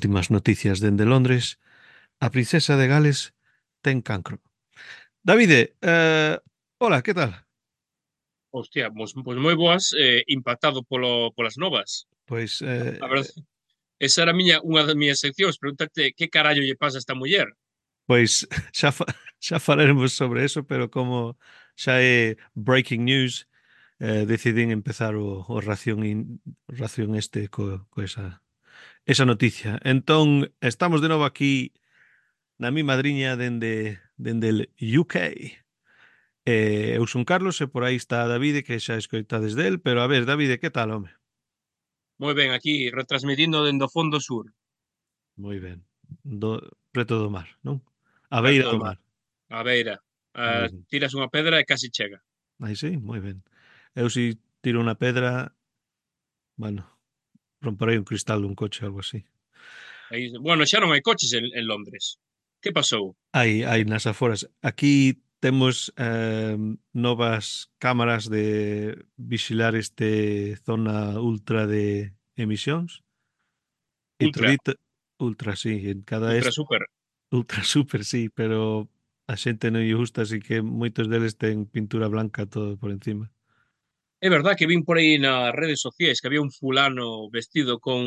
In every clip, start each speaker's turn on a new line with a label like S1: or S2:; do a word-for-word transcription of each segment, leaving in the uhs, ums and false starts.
S1: últimas noticias dende Londres, a princesa de Gales ten cancro. Davide, eh, hola, que tal?
S2: Hostia, pois, pois moi boas, eh, impactado polo, polas novas.
S1: Pois,
S2: A verdade,
S1: eh,
S2: esa era a miña, unha das miñas seccións, preguntarte que carallo lle pasa a esta muller.
S1: pois xa, fa, xa falaremos sobre eso, pero como xa é breaking news, eh, decidín empezar o, o ración, in, ración este co, co esa, esa noticia. Entón, estamos de novo aquí na mi madriña dende, dende el U K. Eh, eu son Carlos e por aí está Davide, que xa escoitades del, pero a ver, Davide, que tal, home?
S2: Moi ben, aquí, retransmitindo dende o fondo sur,
S1: Moi ben. Do, preto do mar, non? A beira
S2: perto do
S1: do
S2: mar,
S1: mar.
S2: á beira.
S1: Moi
S2: Ah,
S1: ben.
S2: tiras unha pedra e casi chega.
S1: Aí sí, moi ben. Eu si tiro unha pedra, bueno, romperei un cristal dun coche, algo así.
S2: Aí, bueno, xa non hai coches en, en Londres. Que pasou?
S1: Hai, hai nas aforas. Aquí temos eh, novas cámaras de vixilar este zona ultra de emisións e
S2: Ultra,
S1: todito ultra, sí, en cada
S2: ultra
S1: este
S2: super.
S1: ultra super, sí, pero a xente non lle gusta, así que moitos deles ten pintura blanca todo por encima.
S2: É verdad que vin por aí nas redes sociais que había un fulano vestido con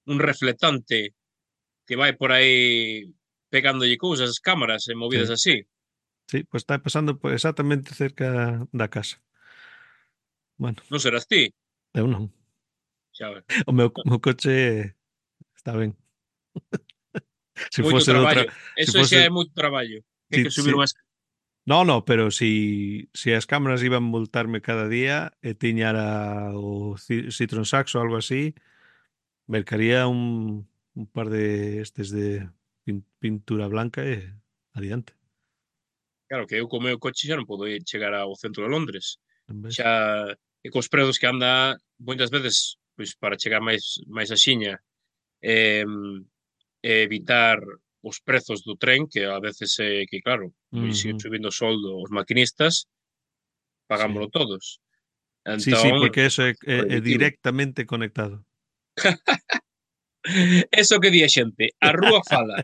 S2: un reflectante que vai por aí pegándolle cousas, cámaras e movidas
S1: Sí,
S2: así.
S1: sí, pues está pasando por exactamente cerca da casa. Bueno,
S2: Non serás ti?
S1: eu non.
S2: Xa ves.
S1: O meu, o meu coche está ben. Se
S2: Moito
S1: fose de outra,
S2: traballo.
S1: se
S2: Eso xa
S1: fose,
S2: é moito traballo. Que hai
S1: si,
S2: que subir
S1: si,
S2: unhas...
S1: no, no, pero si, si as cámaras iban a multarme cada día e tiñara o Ci- Citroën Saxo ou algo así, mercaría un, un par de estes de pin- pintura blanca e adiante.
S2: Claro, que eu co meu coche xa non podo ir chegar ao centro de Londres.
S1: En vez.
S2: Xa, e cos prezos que anda, moitas veces, pois para chegar máis máis axiña, eh, e evitar os prezos do tren, que a veces é que, claro, como lle siguen
S1: Ujú,
S2: subindo o soldo aos maquinistas,
S1: sí.
S2: pagámolo todos.
S1: Sí, sí,
S2: Entón,
S1: porque eso é, é, é
S2: prohibitivo.
S1: directamente conectado.
S2: Eso que di a xente, a rúa fala.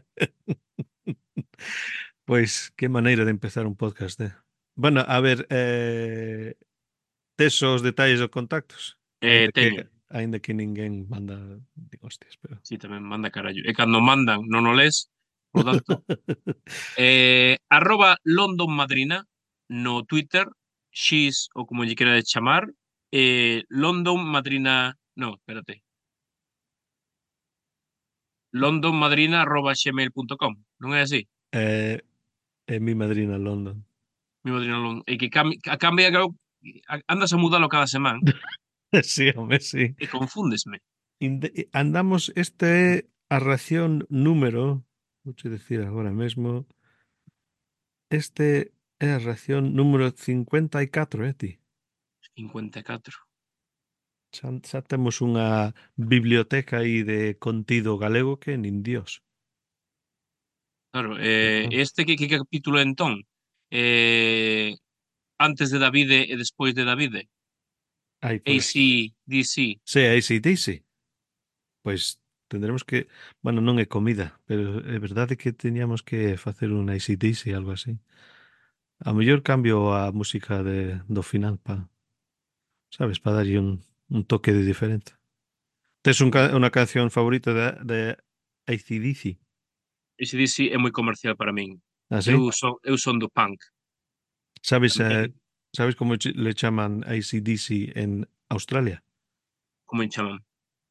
S1: Pois, que maneira de empezar un podcast, eh? Bueno, a ver, eh, tes os detalles dos contactos?
S2: Eh,
S1: Ainda que
S2: teño.
S1: aínda que ninguén manda de hostias, pero
S2: Sí, tamén manda carallo. E cando mandan non o les, polo tanto, eh, arroba London Madrina no Twitter, xis ou como lle querades chamar, eh, London Madrina, no, espérate, london madrina arroba gmail punto com, non é así?
S1: eh, é mi madrina London.
S2: Mi madrina London. E que cam, a cambia, claro, a- andas a mudalo cada semana
S1: Sí, home, sí.
S2: e confúndesme.
S1: Inde andamos este é a ración número, vouche dicir agora mesmo, este é a ración número cincuenta e catro, eh, ti?
S2: cincuenta e catro.
S1: Xa, xa temos unha biblioteca aí de contido galego que nin Dios.
S2: Claro, eh,
S1: Ah.
S2: este que, que capítulo é entón? Eh, antes de Davide e despois de Davide?
S1: Aí por aí.
S2: A C D C.
S1: Sí, aí sí, ti sí. Pois tendremos que, bueno, non é comida, pero é verdade que teñamos que facer un A C D C, algo así. A mellor cambio a música de, do final pa, sabes, para darlle un, un toque de diferente. Tes un, ca- unha canción favorita de, de A C D C?
S2: A C/D C é moi comercial para min.
S1: Ah,
S2: Eu
S1: sí?
S2: son, eu son do punk
S1: Sabes, eh,
S2: tamén,
S1: sabes como ch- le chaman A C D C en Australia?
S2: como en chaman.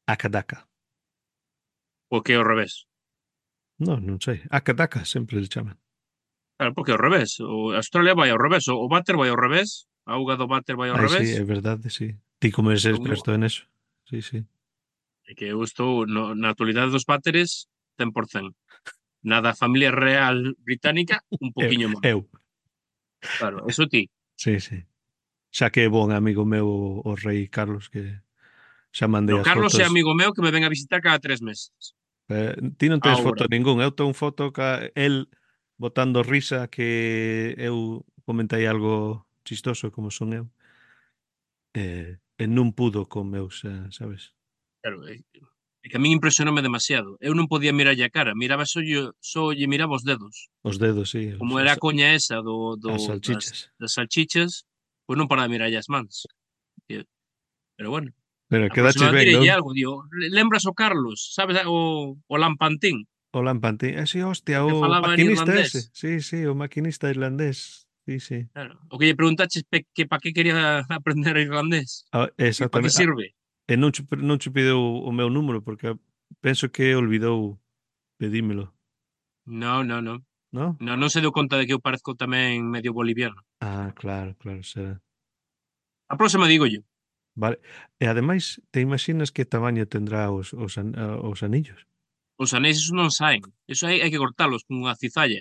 S1: Akadaka.
S2: Porque é ao revés.
S1: Non, non sei. Akadaka sempre le chaman.
S2: Claro, porque é ao revés. O Australia vai ao revés. O, o váter vai ao revés. A auga do váter vai ao
S1: Ai, sí,
S2: revés.
S1: é verdade, sí. Ti como eres
S2: Entón,
S1: experto en eso. Sí, sí.
S2: é que eu estou no, na actualidade dos váteres cen por cen. Na da familia real británica, un
S1: Eu,
S2: poquiño máis.
S1: eu.
S2: Claro, eso ti.
S1: Sí, sí. Xa que é bon amigo meu o, o rei Carlos, que xa mandei
S2: No,
S1: as
S2: Carlos é
S1: fotos.
S2: amigo meu que me ven a visitar cada tres meses.
S1: Eh, ti non tens
S2: Ahora.
S1: foto ningún. Eu tengo foto ca el botando risa que eu comentei algo chistoso como son eu. Eh, e non pudo con meus, eh, sabes?
S2: Claro, eh, É que a min impresionoume demasiado. Eu non podía mirarlle a cara, miraba só, lle- só lle miraba os dedos.
S1: Os dedos, sí,
S2: Como
S1: os-
S2: era
S1: as,
S2: a coña esa do, do,
S1: as
S2: das,
S1: salchichas.
S2: das salchichas, pois non paraba de mirarlle as mans. E- Pero bueno,
S1: Pero
S2: a
S1: quedaches
S2: próxima vez
S1: ben,
S2: direlle
S1: non?
S2: algo, digo, "Le- lembras o Carlos, sabes o, o Lampantín,
S1: O Lampantín. Eh, sí,
S2: o
S1: hostia,
S2: que
S1: o
S2: falaba en
S1: maquinista
S2: irlandés?
S1: ese. Sí, sí, o maquinista irlandés. Sí, sí.
S2: Claro. O que lle preguntaches pe, que para que quería aprender irlandés
S1: Ah,
S2: e para que
S1: exactamente. Ah,
S2: sirve.
S1: e non che, non che pideu o meu número porque penso que olvidou pedímelo,
S2: No, no, no.
S1: non?
S2: No, non se deu conta de que eu parezco tamén medio boliviano.
S1: Ah, claro, claro, será.
S2: A próxima digo yo.
S1: Vale. E ademais, te imaxinas que tamaño tendrá os, os, an- a- os anillos?
S2: Os anéis esos non saen. Eso hai, hai que cortalos con unha cizalla.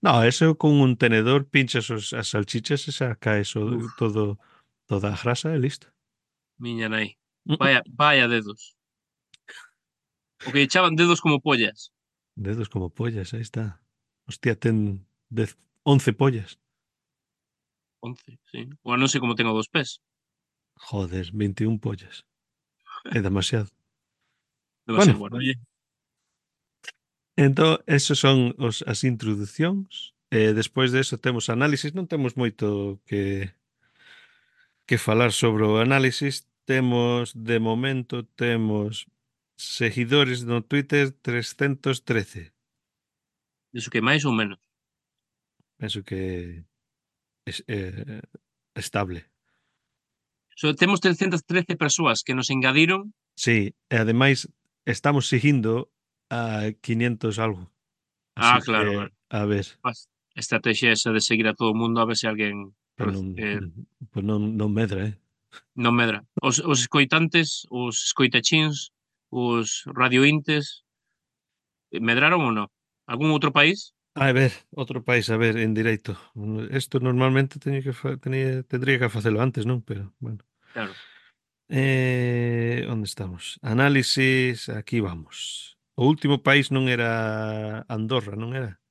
S1: No, eso con un tenedor pinchas os, as salchichas e saca eso
S2: Uf,
S1: todo, toda a grasa e listo.
S2: miña nai.
S1: Mm, mm.
S2: Vaya, vaya dedos. O que echaban dedos como pollas.
S1: Dedos como pollas, aí está. Hostia, ten dez, once pollas.
S2: Once, sí. Ou non sei como tengo dos pés.
S1: Joder, veintiún pollas. É demasiado. Bueno,
S2: Demasiado bueno. Oye,
S1: entón, esos son os, as introducións. E despois de eso temos análisis. Non temos moito que, que falar sobre o análisis. Temos, de momento, temos seguidores no Twitter trescentos e trece.
S2: iso que máis ou menos.
S1: Penso que es eh, estable.
S2: So, temos trescentas e trece persoas que nos engadiron.
S1: Sí, e ademais estamos seguindo a quinientos algo.
S2: Ah,
S1: Así
S2: claro,
S1: que,
S2: claro.
S1: a ver,
S2: Pas- Estrategia esa de seguir a todo o mundo a ver se alguén
S1: pues
S2: rec-
S1: non,
S2: eh,
S1: pues non, non medra, eh?
S2: non medra. Os, os escoitantes, os escoitachins, os radiointes, eh, medraron ou non? Algún outro país?
S1: A ver, outro país, a ver, en directo. Isto normalmente teño que fa, tenía, tendría que facelo antes, non? Pero, bueno.
S2: Claro.
S1: Eh, onde estamos? Análisis, aquí vamos. O último país non era Andorra, non era?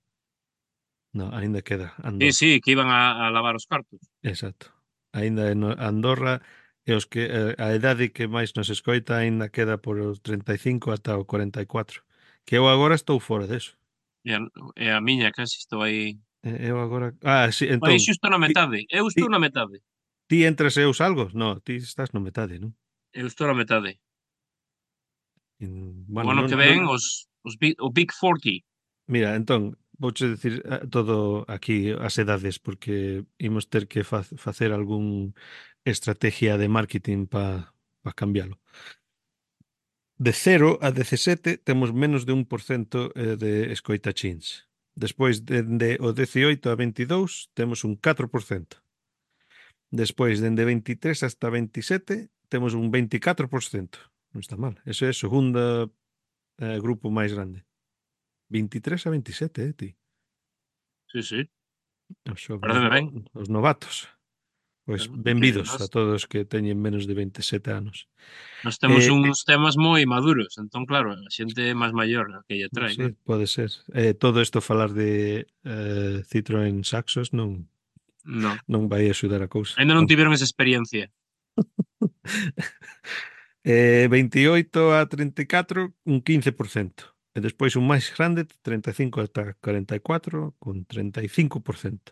S1: No, aínda queda
S2: Sí,
S1: Andorra.
S2: sí, que iban a, a lavar os cartos.
S1: Exacto. Aínda en Andorra e os que eh, a idade que máis nos escoita aínda queda por os treinta e cinco ata o cuarenta e cuatro. Que eu agora estou fora deso.
S2: E a, e a miña casi estou aí.
S1: Eh, Eu agora... Ah, sí,
S2: Estou aí
S1: entón,
S2: xusto na
S1: ti,
S2: metade. Eu
S1: ti,
S2: estou na metade.
S1: ti entras e eu salgo? No, ti estás no metade, non?
S2: Eu estou na metade.
S1: In-
S2: O
S1: Bueno,
S2: ano
S1: non,
S2: que
S1: non,
S2: ven, os, os big, o Big cuarenta.
S1: mira, entón, vouche decir eh, todo aquí as edades porque imos ter que fa facer algún estrategia de marketing para pa cambialo. De cero a dezasete temos menos de un por cento eh, de escoitachins. Despois, dende o dezioito a veintidous, temos un catro por cento. Despois, dende veintitrés hasta veintisiete, temos un veinticuatro por cento. Non está mal. Ese é o segundo eh, grupo máis grande. veintitrés a veintisiete, eh, ti?
S2: Sí, sí.
S1: Os, xo- os,
S2: Pareceme
S1: no,
S2: ben.
S1: os novatos. Pois
S2: Claro. É que
S1: benvidos
S2: nós,
S1: a todos que teñen menos de veintisiete anos.
S2: nós temos
S1: Eh,
S2: uns temas moi maduros. Entón, claro, a xente máis maior a que lle trae,
S1: sí,
S2: claro.
S1: pode ser. Eh, todo isto falar de eh, Citroën Saxos non,
S2: Non.
S1: non vai axudar a cousa.
S2: Ainda non
S1: Bueno.
S2: tiveron esa experiencia.
S1: Eh, veintioito a treinta e catro, un quince por cento. E despois un máis grande, treinta e cinco ata cuarenta e cuatro, con treinta e cinco por cento.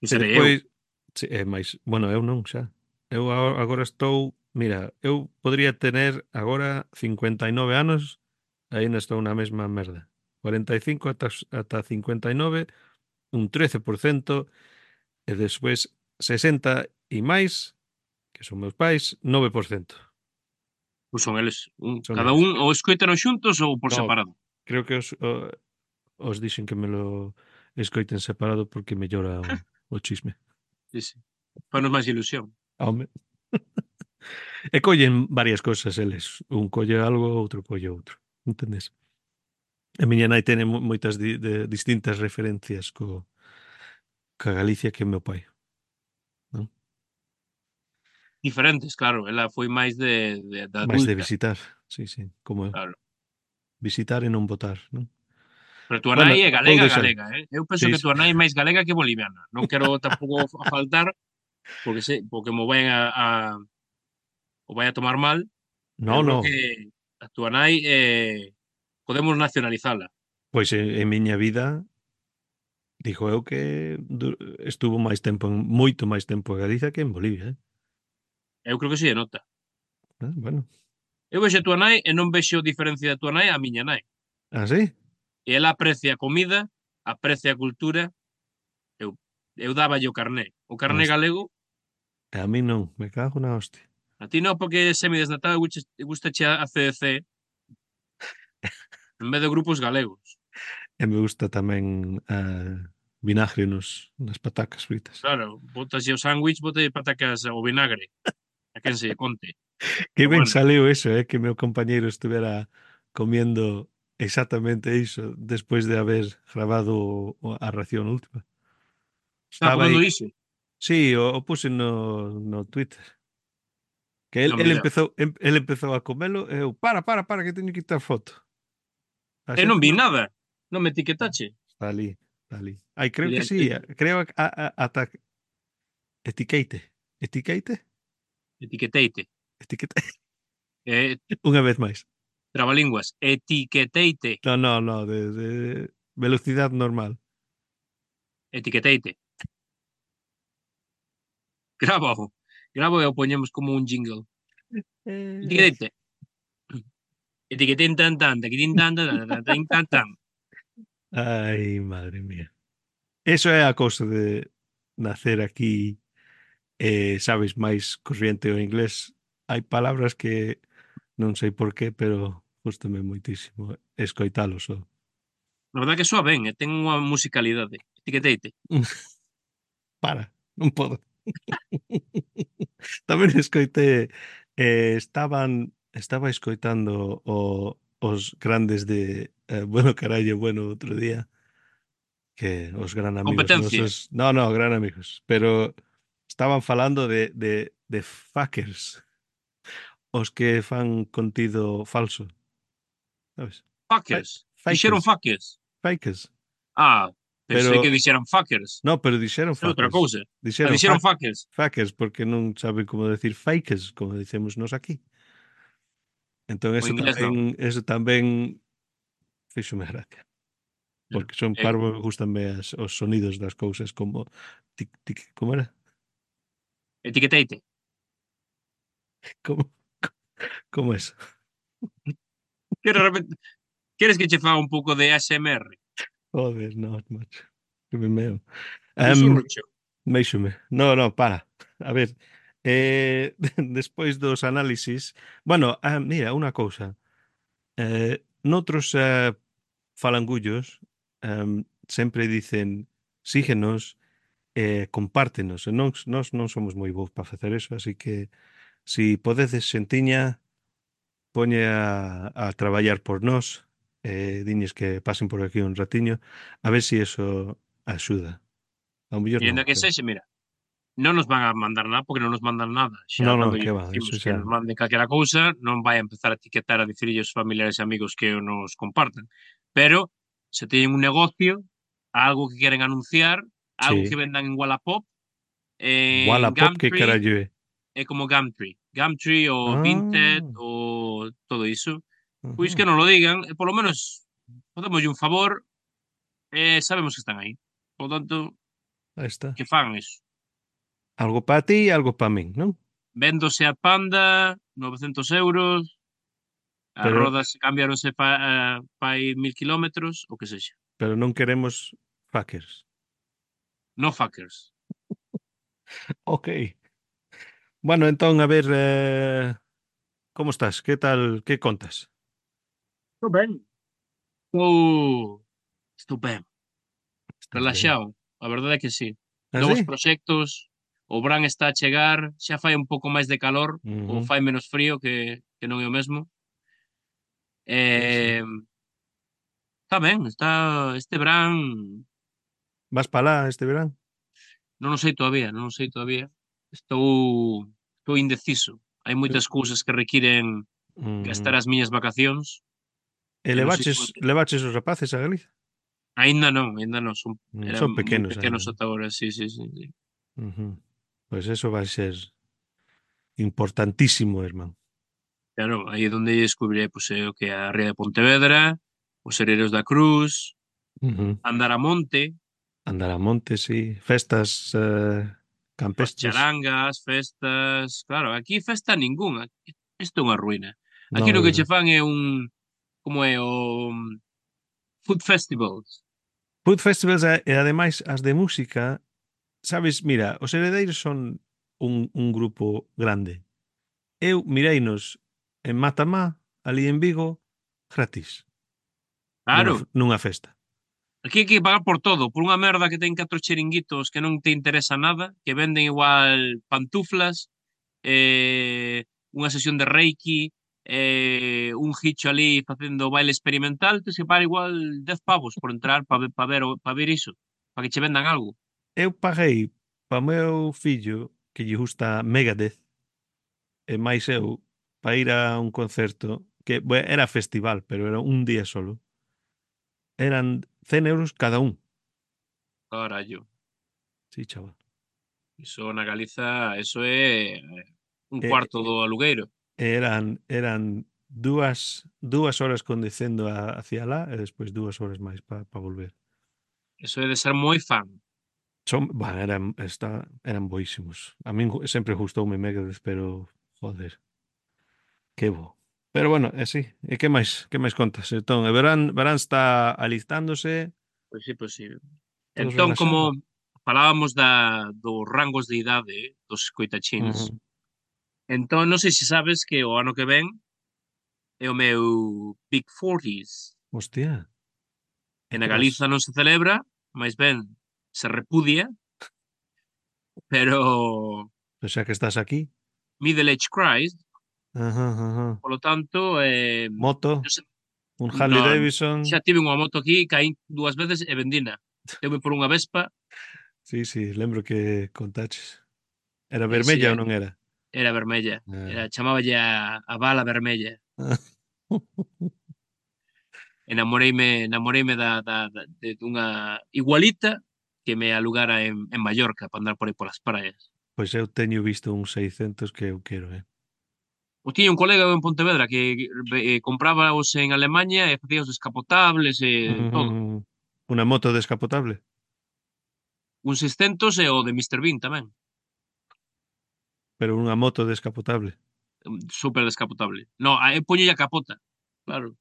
S2: Que
S1: E
S2: serei eu.
S1: despois, sí, é máis, bueno, eu non xa. Eu a- agora estou, mira, eu podría tener agora cincuenta e nove anos, aínda estou na mesma merda. cuarenta e cinco ata, ata cincuenta e nove, un trece por cento, e despois sesenta e máis, que son meus pais, nove por cento.
S2: Pois son eles. Un,
S1: Son
S2: cada
S1: eles.
S2: un ou escoítanos xuntos ou por
S1: No,
S2: separado.
S1: creo que os, o- os dixen que me lo escoiten separado porque mellora o, o chisme.
S2: Sí, sí. Fanos máis ilusión.
S1: Home. E collen varias cousas eles. Un colle algo, outro colle outro. Entendes? A miña nai ten mo- moitas di, de, distintas referencias co, ca Galicia que o meu pai. Non?
S2: Diferentes, claro. Ela foi máis de, de, de
S1: Mais de
S2: adulta.
S1: visitar, sí, sí, como eu.
S2: Claro.
S1: Visitar e non votar, non?
S2: Pero túa
S1: Bueno,
S2: nai é
S1: vou
S2: galega,
S1: deixar.
S2: galega, eh? Eu penso
S1: Sí,
S2: que
S1: sí.
S2: túa nai é máis galega que boliviana. Non quero tampouco a faltar, porque sei, porque mo vai a, a o vai a tomar mal, Pero
S1: No,
S2: eu creo que
S1: no.
S2: a túa nai eh, podemos nacionalizala.
S1: Pois en, en miña vida digo eu que du- estuvo máis tempo, en, moito máis tempo en Galicia que en Bolivia, eh?
S2: Eu creo que si de nota.
S1: Ah, bueno.
S2: Eu vexo a túa nai e non vexo diferencia da túa nai á miña nai.
S1: Ah, sí?
S2: E ela aprecia a comida, aprecia a cultura. Eu, eu dáballe o carné. O carné
S1: Host-
S2: galego,
S1: A mí non, me cago na hostia.
S2: a ti non, porque é semidesnatado e gusta a C D C en vez de grupos galegos.
S1: E me gusta tamén ah, vinagre nos, nas patacas fritas.
S2: Claro, botas o sándwich, botas patacas ao vinagre. A quen se lle conte.
S1: Que
S2: Pero
S1: ben
S2: bueno,
S1: saliu eso, eh, que meu compañeiro estuvera comiendo exactamente iso despois de haber grabado o- a ración última.
S2: estaba
S1: Estaba aí.
S2: comendo iso.
S1: Sí, o, o puse no, no Twitter. Que él,
S2: Non,
S1: él
S2: mira.
S1: empezou, em- él empezou a comelo e eu, para, para, para, que teño que quitar foto. A
S2: E non
S1: xente
S2: vi
S1: non.
S2: nada. Non me etiquetache.
S1: Está ali, está ali. Ai, creo
S2: Mira,
S1: que sí,
S2: et-
S1: a- creo que a, a, ata etiqueite. Etiqueite?
S2: etiqueteite.
S1: Etiquete.
S2: Eh,
S1: Unha vez máis.
S2: trabalinguas. Etiqueteite.
S1: No, no, no, de, de velocidade normal.
S2: Etiqueteite. Grábao. Grábao e o poñemos como un jingle.
S1: Eh,
S2: Etiqueteite. Etiquetín tan tan, taquitín tan tan, tan tan tan tan tan.
S1: Ai, madre mía. Eso é a cousa de nacer aquí, eh, sabes, máis corriente o inglés. Hai palabras que non sei por qué, pero gustame moitísimo escoitalos. Só.
S2: Na verdade que soa ben, e ten unha musicalidade. Etiqueteite.
S1: Para, non podo. Tamén escoitei, eh, estaban, estaba escoitando o, os grandes de eh, Bueno Carallo Bueno outro día, que os gran amigos
S2: Competencia.
S1: nosos, no, no, gran amigos, pero estaban falando de, de, de fuckers, os que fan contido falso, sabes? Fa-
S2: Fuckers. Dixeron
S1: Fakers,
S2: fuckers.
S1: fakers,
S2: Ah, pensei que
S1: pero
S2: dixeran fuckers.
S1: no, pero dixeron
S2: É outra
S1: fuckers,
S2: cousa. Ah,
S1: dixeron
S2: dixeron
S1: fuck,
S2: fuckers.
S1: fuckers porque non saben como decir fakers, como dicemos nós aquí. Entón
S2: O
S1: eso
S2: inglés non.
S1: tamén, eso tamén fíxome gracia,
S2: Yeah.
S1: porque son
S2: Eh,
S1: parvo, gustanme as, os sonidos das cousas como tic, tic, como era?
S2: etiqueteite.
S1: Como, como eso?
S2: Queres, repet- Queres que che faga un pouco de A S M R?
S1: Joder, no, macho. Que me meo. Um,
S2: Susurrucho.
S1: Méixome. No, no, para. A ver, eh, despois dos análisis, bueno, ah, mira, unha cousa. Eh, noutros eh, falangullos em, sempre dicen síguenos, eh, compártenos. E nós, nós non somos moi bons para facer eso, así que si podedes xentiña, poñe a, a traballar por nós, eh, diñes que pasen por aquí un ratiño, a ver si eso axuda. Ao mellor
S2: E
S1: non,
S2: ainda que
S1: pero...
S2: sexe, mira, non nos van a mandar nada porque non nos mandan nada. Xa
S1: No, no,
S2: cando
S1: que
S2: lle
S1: va,
S2: dicimos
S1: eso
S2: que
S1: xa...
S2: nos manden calquera cousa, non vai a empezar a etiquetar a dicirlle aos familiares e amigos que o nos compartan. Pero se teñen un negocio, algo que queren anunciar, algo que
S1: Sí.
S2: vendan en Wallapop, en
S1: Wallapop, que
S2: Gumtree,
S1: carallo é?
S2: é como Gumtree. Gumtree ou Vinted
S1: Ah,
S2: ou todo iso. Pois que
S1: ujú,
S2: non lo digan, e polo menos podémoslle un favor e sabemos que están aí. Por tanto,
S1: aí está.
S2: que fan eso.
S1: Algo para ti e algo para min, non?
S2: Véndose a Panda, novecentos euros, as
S1: Pero,
S2: rodas cambiáronse pa, eh, pa aí mil kilómetros, o que sexa.
S1: pero non queremos fuckers.
S2: No fuckers.
S1: Ok. Bueno, entón, a ver, eh, como estás? Que tal, que contas?
S2: Estou ben. Estou... Estou ben.
S1: Estás ben?
S2: Relaxado. A verdade é que sí.
S1: Ah,
S2: Novos
S1: sí?
S2: proxectos, o verán está a chegar, xa fai un pouco máis de calor, ou
S1: Ujú,
S2: fai menos frío, que, que non é o mesmo.
S1: sí, sí.
S2: Eh, está ben, está este verán,
S1: Vas para lá este verán?
S2: non o sei todavía, non o sei todavía. Estou estou indeciso. Hai
S1: Eh,
S2: moitas cousas que requiren gastar
S1: ujú.
S2: as miñas vacacións
S1: E
S2: e non sei
S1: levaches,
S2: como que
S1: levaches os rapaces a Galicia?
S2: aínda non, aínda non, son
S1: Mm,
S2: eran
S1: son
S2: moi
S1: pequenos
S2: pequenos
S1: aínda, non?
S2: ata agora, sí, sí, sí, sí.
S1: Ujú. Pois eso vai ser importantísimo, irmán.
S2: Claro, aí é onde descubriré pois, eh, o que é a Ría de Pontevedra, os Sereiros da Cruz,
S1: Ujú.
S2: andar a monte,
S1: Andar a monte, sí. Festas eh,
S2: as
S1: campestres.
S2: charangas, festas... Claro, aquí festa ningunha. Isto é unha ruína. Aquí
S1: No,
S2: no
S1: é
S2: que che
S1: verdad.
S2: fan é un... Como é o... um, Food festivals.
S1: Food festivals e, e ademais as de música, sabes, mira, os Heredeiros son un, un grupo grande. Eu mireinos en Matamá, ali en Vigo, gratis, nunha,
S2: Claro,
S1: f- nunha festa.
S2: aquí hai que pagar por todo, por unha merda que ten catro chiringuitos que non te interesa nada, que venden igual pantuflas, eh, unha sesión de Reiki, eh, un gicho ali facendo baile experimental, te se para igual dez pavos por entrar para ver, pa ver, o- pa ver iso, para que che vendan algo.
S1: Eu paguei para o meu fillo, que lle gusta Megadeth, e máis eu, para ir a un concerto, que bue, era festival, pero era un día solo. Eran cen euros cada un.
S2: Carallo,
S1: Sí, chaval.
S2: iso na Galiza, eso é eh, un
S1: E,
S2: cuarto do alugueiro.
S1: eran eran dúas dúas horas conducendo a, hacia lá e despois dúas horas máis para pa volver.
S2: Eso é de ser moi fan.
S1: Son, bueno, eran, está, eran boísimos. A min gu- sempre gustoume Megadeth, pero joder, que bo. Pero bueno, é así. E que máis? Que máis contas? Entón, e verán, verán está alistándose,
S2: Pois sí, pois sí.
S1: todo
S2: Entón, como
S1: relaxado.
S2: falábamos da, dos rangos de idade eh, dos escoitachins,
S1: Ujú.
S2: entón non sei se sabes que o ano que ven é o meu Big forties.
S1: Hostia,
S2: E
S1: e
S2: na
S1: que
S2: Galiza
S1: vas?
S2: non se celebra, máis ben se repudia, pero
S1: Pois xa que estás aquí.
S2: middle age crisis,
S1: Ajá, ajá.
S2: polo tanto, eh,
S1: Moto,
S2: non sei,
S1: un Harley
S2: non,
S1: Davidson.
S2: xa tive unha moto aquí, caí dúas veces e vendina. Deume por unha Vespa,
S1: Sí, sí, lembro que contaches. Era
S2: e si
S1: vermella ou non era?
S2: era vermella,
S1: Ah.
S2: era, chamáballe a, a bala vermella. Enamoreime, enamoreime da, da, da, de dunha igualita que me alugara en, en Mallorca para andar por aí polas praias.
S1: Pois eu teño visto uns seiscentos que eu quero, eh.
S2: O tiña un colega en Pontevedra que eh, comprábaos en Alemaña e facía os descapotables e todo.
S1: Ujú. Una moto descapotable,
S2: Un seiscentos e o de míster Bean tamén.
S1: pero unha moto descapotable.
S2: Súper descapotable. No, aí poñelle a capota. Claro.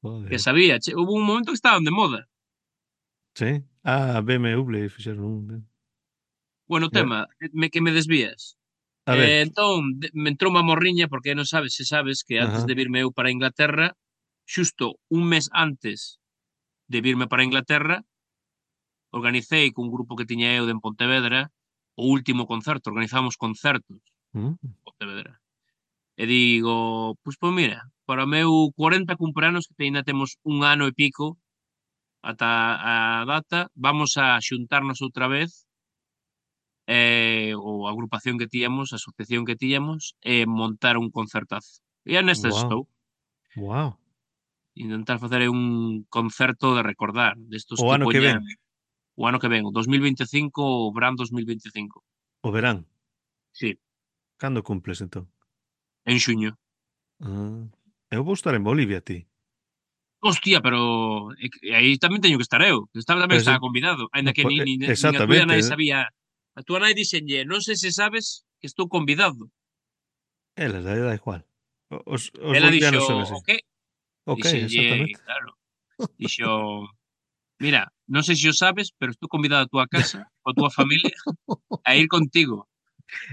S2: Que
S1: Joder.
S2: sabía, che, hubo un momento que estaban de moda.
S1: Sí? Ah, B M W fixeron un. eh.
S2: Bueno, o
S1: Eh,
S2: tema, me, que me desvías.
S1: A ver.
S2: Eh, entón, de- me entrou unha morriña porque non sabes se sabes que antes
S1: Ajá.
S2: de virme eu para Inglaterra, xusto un mes antes de virme para Inglaterra, organicei cun grupo que tiña eu de en Pontevedra o último concerto, organizamos concertos
S1: Mm,
S2: en Pontevedra. E digo, pois, pois mira, para o meu cuarenta cumpleanos, que aínda temos un ano e pico ata a data, vamos a xuntarnos outra vez, eh, ou a agrupación que tiñamos, a asociación que tiñamos, e montar un concertazo. E é nestas
S1: wow.
S2: estou.
S1: Wow.
S2: Intentar facer un concerto de recordar, destos
S1: O
S2: que
S1: ano que ven,
S2: poñan o ano que ven, o dos mil vinte e cinco, o verán dos mil vinte e cinco.
S1: o verán.
S2: Sí,
S1: Cando cumples entón?
S2: en xuño.
S1: Ah, eu vou estar en Bolivia, ti.
S2: Hostia, pero é que aí tamén teño que estar eu. Estaba tamén
S1: Pero se,
S2: estaba convidado, aínda
S1: no,
S2: que
S1: po-
S2: nin,
S1: eh,
S2: nin, nin a túa
S1: exactamente.
S2: nai
S1: eh.
S2: sabía. A túa nai dixenlle, non sei se sabes que estou convidado.
S1: Elas, da da igual. O- Os, os
S2: Ela dixo,
S1: bolivianos son así.
S2: o que?
S1: Ok,
S2: Dixenlle,
S1: exactamente.
S2: claro, dixo, mira, non sei se o sabes, pero estou convidado a túa casa, coa túa familia, a ir contigo.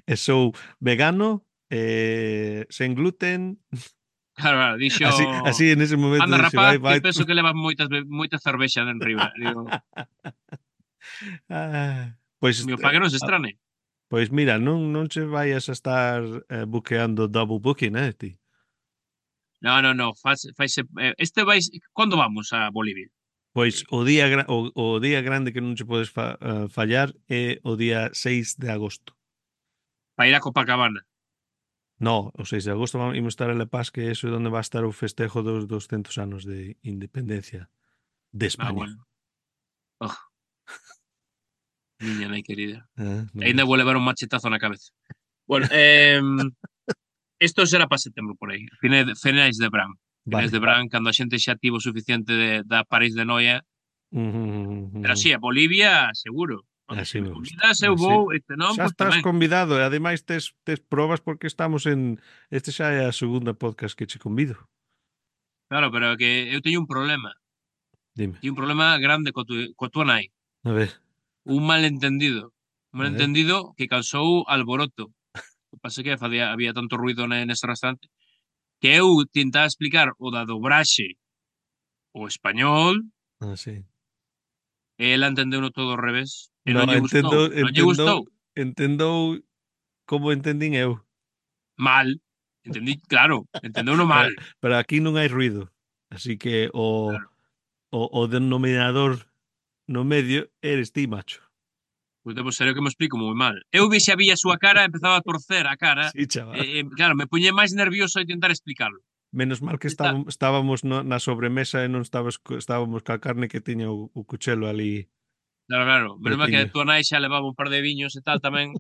S1: E sou vegano, eh, sen gluten.
S2: Claro, claro, dixo,
S1: Así, así en ese momento
S2: anda
S1: dixe,
S2: rapaz,
S1: vai,
S2: que
S1: vai.
S2: penso que levas moitas, be- moita cervexa de enriba. Digo,
S1: Ah, pois,
S2: meu, para
S1: eh,
S2: que non se
S1: ah,
S2: estrane.
S1: pois mira, non non che vayas a estar eh, buqueando double booking, eh, ti.
S2: No, no, no, faz, faise, eh, este vais, cando vamos a Bolivia?
S1: Pois
S2: Eh,
S1: o día gra- o, o día grande que non che podes fa, eh, fallar é o día seis de agosto.
S2: para ir a Copacabana.
S1: No, o seis de agosto vamos imos estar en La Paz, que eso é onde va a estar o festejo dos doscientos anos de independencia de
S2: Ah,
S1: España.
S2: bueno. Oh, miña nai querida.
S1: Ah, non
S2: Ainda
S1: ves?
S2: vou levar un machetazo na cabeza. Bueno, eh, Isto será para setembro por aí, finais, finais de verán. Finais de
S1: Vale.
S2: verán, cando a xente xa tivo o suficiente de, da París de Noia.
S1: Ujú, ujú,
S2: Pero
S1: ujú.
S2: sí, a Bolivia, seguro. Vamos, se
S1: Así
S2: me
S1: me gusta.
S2: convidas, eu
S1: Así.
S2: vou, e se non,
S1: Xa
S2: pois
S1: estás
S2: tamén.
S1: convidado e ademais tes, tes probas porque estamos en... Este xa é a segunda podcast que che convido.
S2: Claro, pero é que eu teño un problema.
S1: Dime.
S2: Teño un problema grande co tu, co tua nai.
S1: A ver,
S2: Un malentendido. Un
S1: a ver.
S2: malentendido que causou alboroto. O que pasa é que facía, había tanto ruido ne- nese restaurante que eu tentaba explicar o da dobraxe o español
S1: Ah, sí.
S2: e ela entendeu no todo ao revés e
S1: No,
S2: non lle gustou.
S1: entendo,
S2: Non lle
S1: entendo,
S2: gustou.
S1: entendou como entendín eu.
S2: Mal. Entendí, claro, entendeu no mal.
S1: Pero, pero aquí non hai ruido. Así que o,
S2: Claro.
S1: o, o denominador no medio eres ti, macho.
S2: Pois debo ser eu que me explico moi mal. Eu vi xa vi a súa cara, empezaba a torcer a cara,
S1: Sí,
S2: e,
S1: chaval.
S2: e claro, me puñe máis nervioso de tentar explicarlo.
S1: Menos mal que
S2: Está,
S1: estábamos, estábamos no, na sobremesa e non estabas, co- estábamos ca carne que tiña o, o cuchelo ali
S2: claro, claro, menos mal que a
S1: pretiño.
S2: túa nai xa levaba un par de viños e tal tamén,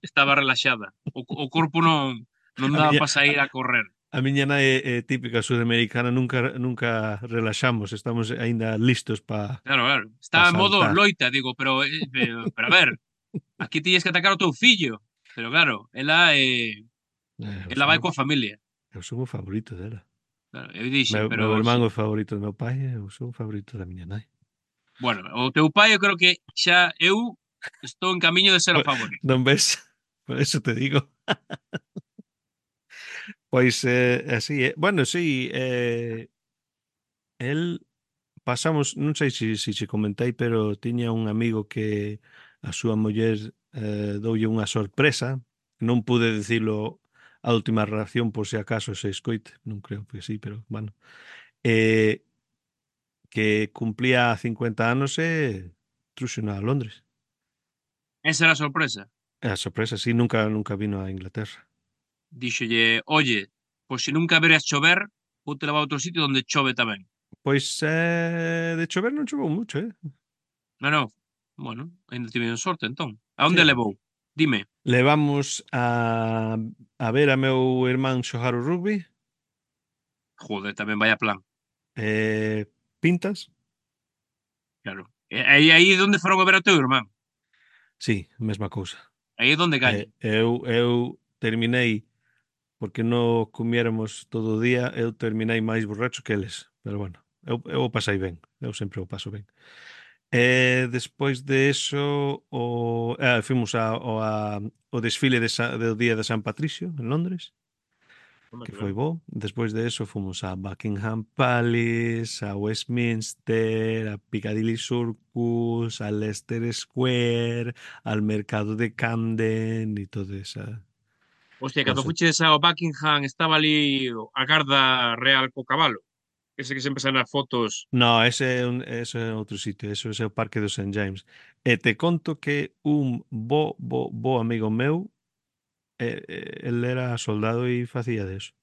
S2: estaba relaxada. O, o corpo non non
S1: A
S2: daba
S1: miña,
S2: para sair a correr.
S1: a miña nai é, é típica sudamericana, nunca nunca relaxamos, estamos aínda listos para
S2: Claro, claro.
S1: pa
S2: Estaba en modo
S1: saltar.
S2: loita, digo, pero, eh, pero, pero a ver, aquí tiñes que atacar o teu fillo. Pero claro, ela eh,
S1: Eh, eu
S2: ela
S1: son,
S2: vai coa familia.
S1: eu son o favorito dela.
S2: Claro, eu dixen,
S1: Meu,
S2: pero
S1: meu irmán
S2: se-
S1: é o favorito do meu pai e eu son o favorito da miña nai.
S2: bueno, o teu pai eu creo que xa eu estou en camiño de ser o favorito.
S1: Non ves? Por eso te digo. Pois eh, así, eh. Bueno, sí, eh, el pasamos, non sei se si, si che comentei, pero tiña un amigo que a súa muller eh, doulle unha sorpresa. Non pude dicilo a última reacción por se acaso se escoite, non creo que sí, pero bueno. Eh, que cumplía cincuenta anos e truxo a Londres.
S2: Esa era a sorpresa.
S1: A sorpresa, sí, nunca nunca vino a Inglaterra.
S2: Díxolle, oye, pois se nunca veres chover, vou te levar a outro sitio onde chove tamén.
S1: Pois eh, de chover non choveu mucho, eh?
S2: Non, non, bueno, ainda tiveron sorte entón. A onde
S1: Sí.
S2: levou? Dime.
S1: Levamos a, a ver a meu irmán xogar o rugby,
S2: Joder, tamén vaya plan,
S1: eh, pintas,
S2: claro. E aí aí é onde foron a ver ao teu irmán.
S1: sí, mesma cousa.
S2: Aí é onde
S1: Eh,
S2: gañan.
S1: eu, eu terminei, porque non comiéramos todo o día, eu terminei máis borracho que eles, pero bueno, eu, eu o pasei ben, eu sempre o paso ben. E despois de eso, o, eh, fomos a, o, a, o desfile de Sa, do Día de San Patricio en Londres,
S2: Home,
S1: que
S2: que
S1: foi
S2: ben.
S1: bo. Despois de eso fomos a Buckingham Palace, a Westminster, a Piccadilly Circus, a Leicester Square, al mercado de Camden e toda esa
S2: Hostia, cando
S1: cosa.
S2: fuches ao Buckingham estaba ali a garda real co cabalo. Ese que sempre sae nas fotos.
S1: No, ese é, un, ese é outro sitio, eso é o Parque do Saint James. E te conto que un bo, bo, bo amigo meu, eh, eh, el era soldado e facía de eso.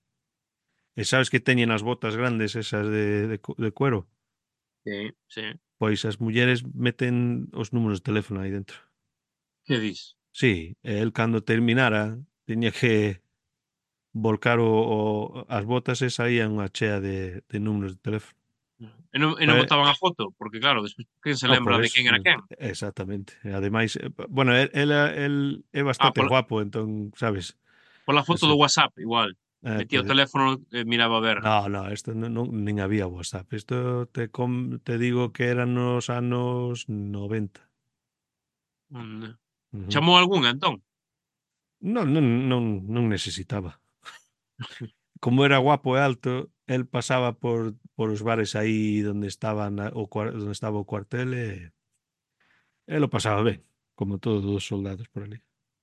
S1: E sabes que teñen as botas grandes esas de, de, cu- de cuero?
S2: Sí, sí.
S1: Pois as mulleres meten os números de teléfono aí dentro.
S2: Que dis?
S1: Sí, e el cando terminara tiña que volcar o, o, as botas e saía unha chea de, de números de teléfono.
S2: E non, e non
S1: Eh,
S2: botaban a foto, porque claro, despois quen se
S1: oh, por
S2: lembra de
S1: eso,
S2: quen era quen?
S1: exactamente. E ademais, eh, bueno, el, el, el é
S2: Ah,
S1: bastante
S2: pola,
S1: guapo, entón, sabes?
S2: pola foto
S1: Ese,
S2: do WhatsApp, igual.
S1: eh,
S2: Metía o
S1: pode,
S2: teléfono e miraba a ver.
S1: no, no, isto non, non, nin había WhatsApp. Isto te, com, te digo que eran nos anos noventa.
S2: Mm.
S1: Ujú.
S2: Chamou algunha, entón?
S1: Non, non, non, non necesitaba. Como era guapo e alto, el pasaba por, por os bares aí donde estaban a- o, cuar- donde estaba o cuartel e e lo pasaba ben, como todos os soldados por ali.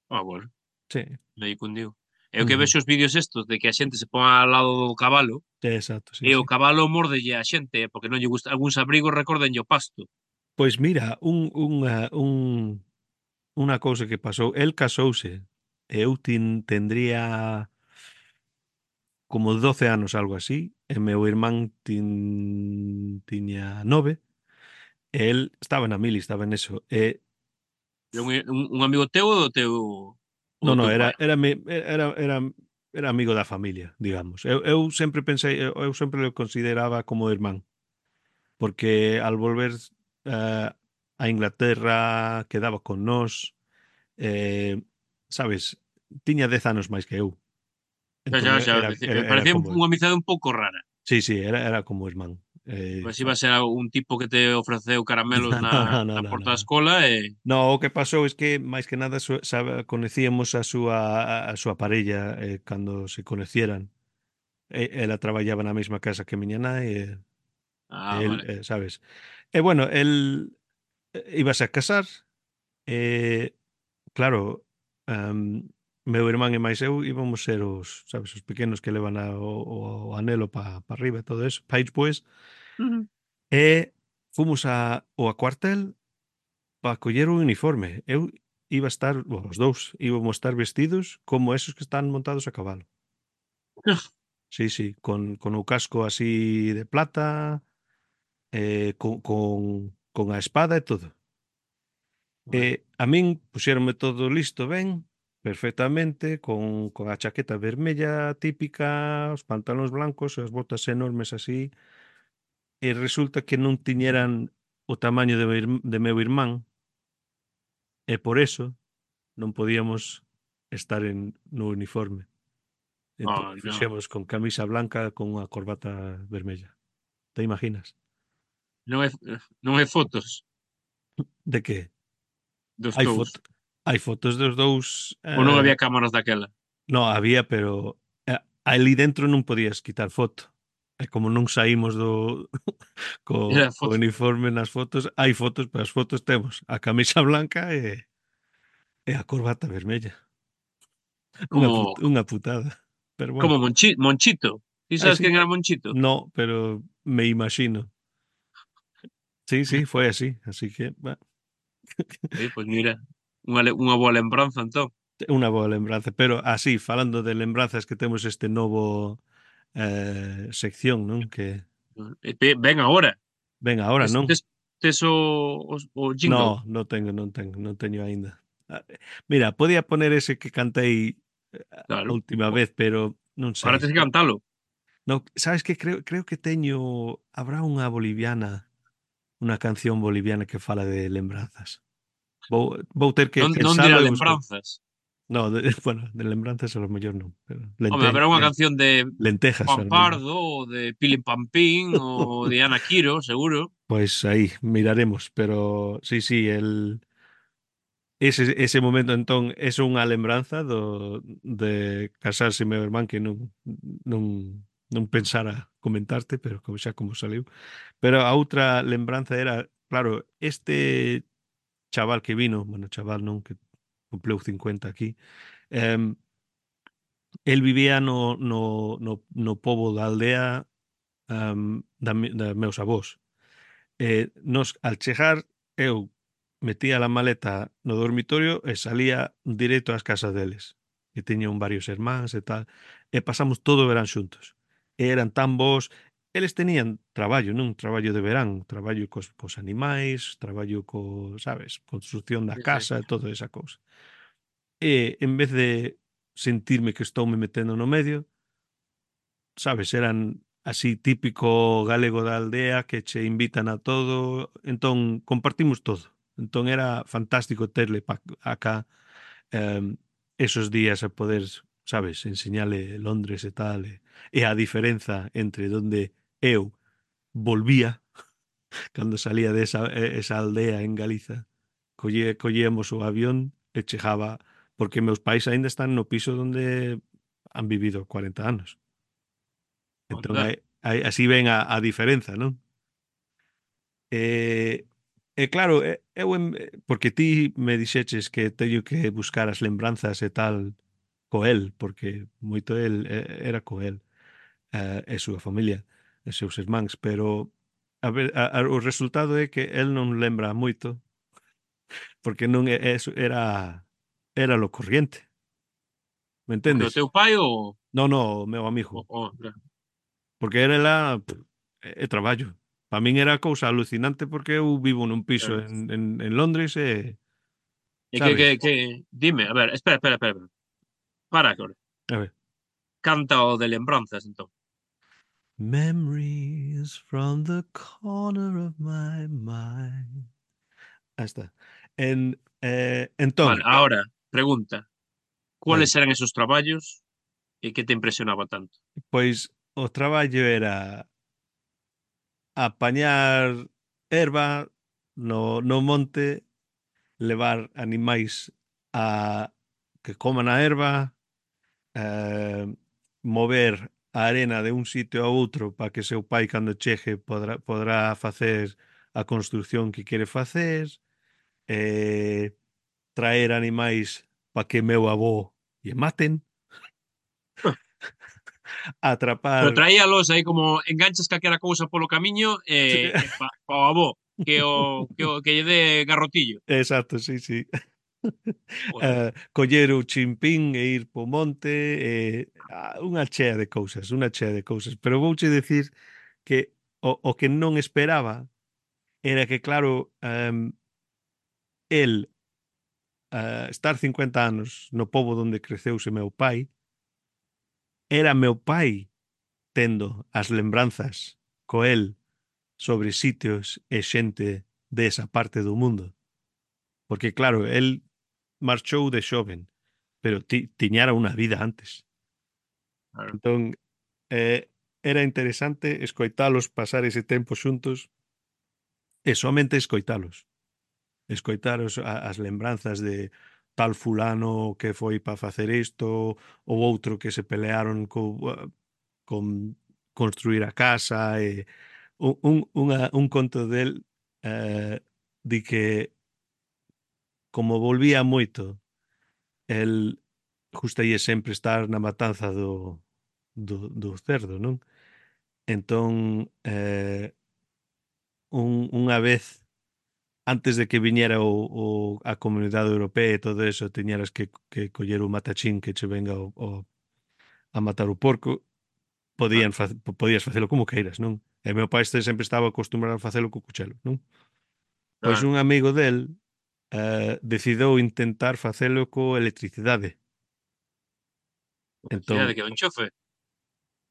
S2: Ah, bueno,
S1: Sí.
S2: aí cundiu. É o que
S1: Ujú.
S2: vexo os vídeos estos de que a xente se pon ao lado do cabalo
S1: Exacto, sí,
S2: e o
S1: sí.
S2: cabalo mórdelle a xente, eh, porque non lle gusta algúns abrigos recórdenlle o pasto.
S1: Pois mira, un, unha, un, unha cousa que pasou, el casouse e eu tin, tendría como doce anos, algo así, e meu irmán tin, tiña nove, e el estaba na mili, estaba en eso, e
S2: Era un, un, un amigo teu ou do teu ou
S1: no,
S2: do
S1: no,
S2: teu pai?
S1: era, era, mi- era, era era amigo da familia, digamos. Eu, eu sempre pensei, eu, eu sempre o consideraba como irmán, porque al volver eh, a Inglaterra quedaba con nós, eh, sabes, tiña dez anos máis que eu.
S2: Xa,
S1: Entón
S2: xa,
S1: e-
S2: xa,
S1: era,
S2: parecía
S1: era, era
S2: parecía un-
S1: como,
S2: unha amizade un pouco rara.
S1: sí, sí, era, era como irmán. Eh,
S2: Pois iba a ser un tipo que te ofreceu caramelos na,
S1: no, no, no,
S2: na
S1: no,
S2: porta
S1: no,
S2: da
S1: no.
S2: escola e...
S1: No, o que pasou es que máis que nada su, sabe, conocíamos a súa a, a súa parella eh, cando se conocieran. E, ela traballaba na mesma casa que miña nai e
S2: Ah,
S1: el,
S2: vale.
S1: eh, sabes. E bueno, el eh, íbase a casar e claro, um, meu irmán e máis eu íbamos ser os, sabes, os pequenos que levan a, o, o anelo para pa arriba e todo eso. Pa despois
S2: Ujú.
S1: e fomos a, ao a cuartel para coller o uniforme. Eu iba a estar, bueno, os dous íbamos a estar vestidos como esos que están montados a cabalo. Sí, sí, con, con o casco así de plata, eh, con, con, con a espada e todo. E
S2: Vale.
S1: a min puxéronme todo listo ben, perfectamente, con, con a chaqueta vermella típica, os pantalóns blancos, as botas enormes así, e resulta que non tiñeran o tamaño de, meu ir- de meu irmán, e por eso non podíamos estar en, no uniforme. Entón
S2: Oh, no.
S1: fixemos con camisa blanca con unha corbata vermella. Te imaginas?
S2: Non hai, non hai fotos
S1: De que?
S2: dos
S1: Hai
S2: dous.
S1: foto, hai fotos dos dous.
S2: Ou non
S1: eh,
S2: había cámaras daquela.
S1: no, había, pero eh, ali dentro non podías quitar foto. E como non saímos do co,
S2: Era
S1: co
S2: foto
S1: uniforme nas fotos, hai fotos, pero as fotos temos a camisa blanca e, e a corbata vermella. Unha, put,
S2: como
S1: unha putada. Pero bueno.
S2: como Monchi, Monchito. Ti
S1: Ai,
S2: sabes
S1: sí,
S2: quen
S1: eh,
S2: era Monchito?
S1: no, pero me imagino. Sí, sí, foi así. Así que, bueno,
S2: Oye, pois mira, unha, le- unha boa lembranza entón.
S1: unha boa lembranza. Pero así, falando de lembranzas que temos este novo eh, sección, non? Que
S2: E pe- ven agora.
S1: ven agora,
S2: Tes,
S1: non?
S2: tes, tes o, o, o jingle.
S1: No, non tengo, non tengo, non teño aínda. Ah, mira, podía poner ese que cantei eh, a
S2: Claro.
S1: última
S2: O-
S1: vez, pero non
S2: Ahora
S1: sei.
S2: tes que cantalo.
S1: No, sabes que creo creo que teño habrá unha boliviana, unha canción boliviana que fala de lembranzas. Vou vou ter que
S2: Non, non dirá
S1: pensalo e buscar.
S2: lembranzas.
S1: No, de, bueno, de lembranzas a lo mellor non, pero
S2: Home,
S1: lente,
S2: haberá unha
S1: len-
S2: canción de
S1: lentejas a lo mellor.
S2: Pampardo, ou de Pilín Pampín, ou de Ana Quiro, seguro.
S1: Pois aí miraremos, pero sí, sí, el ese, ese momento entón é unha lembranza do, de casarse meu irmán que non, non, non pensara comentarte, pero como xa como saliu. Pero a outra lembranza era, claro, este chaval que vino, bueno, chaval non, que cumpleu cincuenta aquí, eh, el vivía no, no, no, no pobo da aldea um, da, mi- da meus avós. Eh, nos, al chegar, eu metía a maleta no dormitorio e salía directo ás casas deles, que teñan varios irmáns e tal, e pasamos todo o verán xuntos. E eran tan bons, eles tenían traballo, non traballo de verán, traballo cos, cos animais, traballo co, sabes, construcción da
S2: Sí, sí.
S1: casa e toda esa cousa. E en vez de sentirme que estou me metendo no medio, sabes, eran así típico galego da aldea que che invitan a todo, entón compartimos todo. Entón era fantástico terle pa acá eh, esos días a poder, sabes, enseñarle Londres e tal, e, e a diferenza entre donde eu volvía cando salía de esa, esa aldea en Galiza, colle, collíamos o avión e chegaba, porque meus pais aínda están no piso donde han vivido cuarenta anos. Entón,
S2: Onda.
S1: hai, hai, así ven a, a diferenza, non? E, e claro, e- eu, em- porque ti me dixeches que teño que buscar as lembranzas e tal co el, porque moito el eh, era co el eh, e súa familia, e seus irmáns, pero a ver, a, a, o resultado é que el non lembra moito, porque non é, eso era era lo corriente, me
S2: O que o
S1: entendes?
S2: teu pai ou...
S1: No, no, o meu amigo.
S2: o, o claro.
S1: Porque era lá pff, é, é traballo. Para min era cousa alucinante porque eu vivo nun piso
S2: Claro.
S1: en, en, en Londres e,
S2: E que, que,
S1: sabes?
S2: que... Dime, a ver, espera, espera, espera. Para, que
S1: A ver.
S2: canta o de lembranzas, entón.
S1: Memories from the corner of my mind. Ahí está. En, eh,
S2: Vale,
S1: entón,
S2: ahora, pregunta.
S1: vai,
S2: Cuáles eran esos traballos e que te impresionaba tanto?
S1: pois o traballo era apañar erva no, no monte, levar animais a que coman a erva, eh, mover a arena de un sitio a outro para que seu pai cando chegue podrá, podrá facer a construcción que quere facer, eh, traer animais para que meu avó lle maten,
S2: Pero
S1: atrapar.
S2: traíalos aí como enganchas calquera cousa polo camiño e, e pa, pa o avó que o, que o que lle dé garrotillo.
S1: Exacto, sí, sí.
S2: Joder,
S1: Eh, coller o chimpín e ir po monte, eh, ah, unha chea de cousas, unha chea de cousas. Pero vouche decir que o, o que non esperaba era que, claro, um, el uh, estar cincuenta anos no pobo onde creceuse meu pai, era meu pai tendo as lembranzas co el sobre sitios e xente desa parte do mundo. Porque, claro, el marchou de xoven, pero ti, tiñara unha vida antes.
S2: claro.
S1: Entón, eh, era interesante escoitalos pasar ese tempo xuntos e somente escoitalos. Escoitaros a, as lembranzas de tal fulano que foi para facer isto, ou outro que se pelearon co, con construir a casa e un, un, unha, un conto del eh, di que como volvía moito el gustalle sempre estar na matanza do, do, do cerdo, non? Entón, eh, un, unha vez antes de que viñera o, o, a Comunidade Europea e todo eso, teñeras que, que coller o matachín que che venga o, o, a matar o porco,
S2: Ah,
S1: podían fa, podías facelo como queiras, non? E meu pai este sempre estaba acostumbrado a facelo co cuchelo, non? Pois
S2: claro.
S1: un amigo del eh, decidou intentar facelo co electricidade.
S2: Felicidade
S1: Entón,
S2: que o enchofe.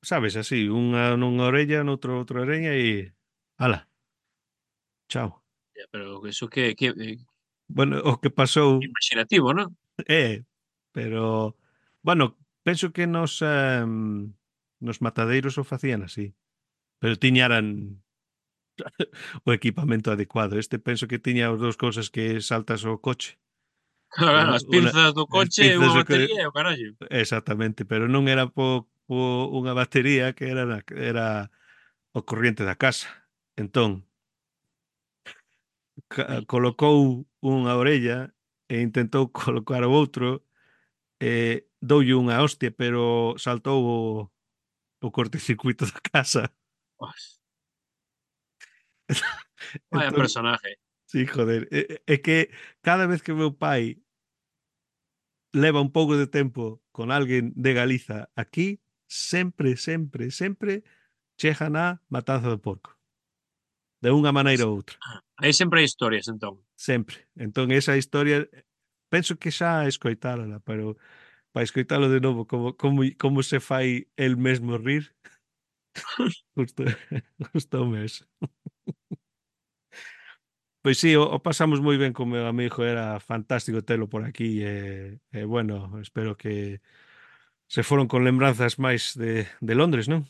S1: sabes, así, unha nunha orella, noutra outra orella e... Ala, chao.
S2: Ya, pero eso que, que eh,
S1: Bueno, o que pasou
S2: imaginativo, ¿no?
S1: é, pero, bueno, penso que nos, em, nos matadeiros o facían así, pero tiñaran o equipamento adecuado. Este penso que tiña as dous cousas que saltas o coche.
S2: Claro, claro,
S1: Una,
S2: as
S1: una,
S2: pinzas do
S1: as
S2: coche,
S1: pinzas
S2: unha
S1: o que...
S2: batería e o carallo.
S1: Exactamente, pero non era po, po unha batería que era, na- era o corriente da casa. Entón, ca-
S2: Ai,
S1: colocou unha orella e intentou colocar o outro e doulle unha hostia, pero saltou o, o cortecircuito da casa.
S2: os, vaya
S1: Entón,
S2: personaje.
S1: sí, joder, é, é que cada vez que meu pai leva un pouco de tempo con alguén de Galiza aquí, sempre, sempre, sempre chegan a matanza do porco. De unha maneira ou outra.
S2: Aí sempre hai historias, entón.
S1: Sempre. Entón, esa historia, penso que xa escoitárala, pero para escoitalo de novo, como, como, como se fai el mesmo rir, justo, gustoume eso. Pois sí, o, o pasamos moi ben con meu amigo, era fantástico telo por aquí e, e bueno, espero que se foron con lembranzas máis de, de Londres, non?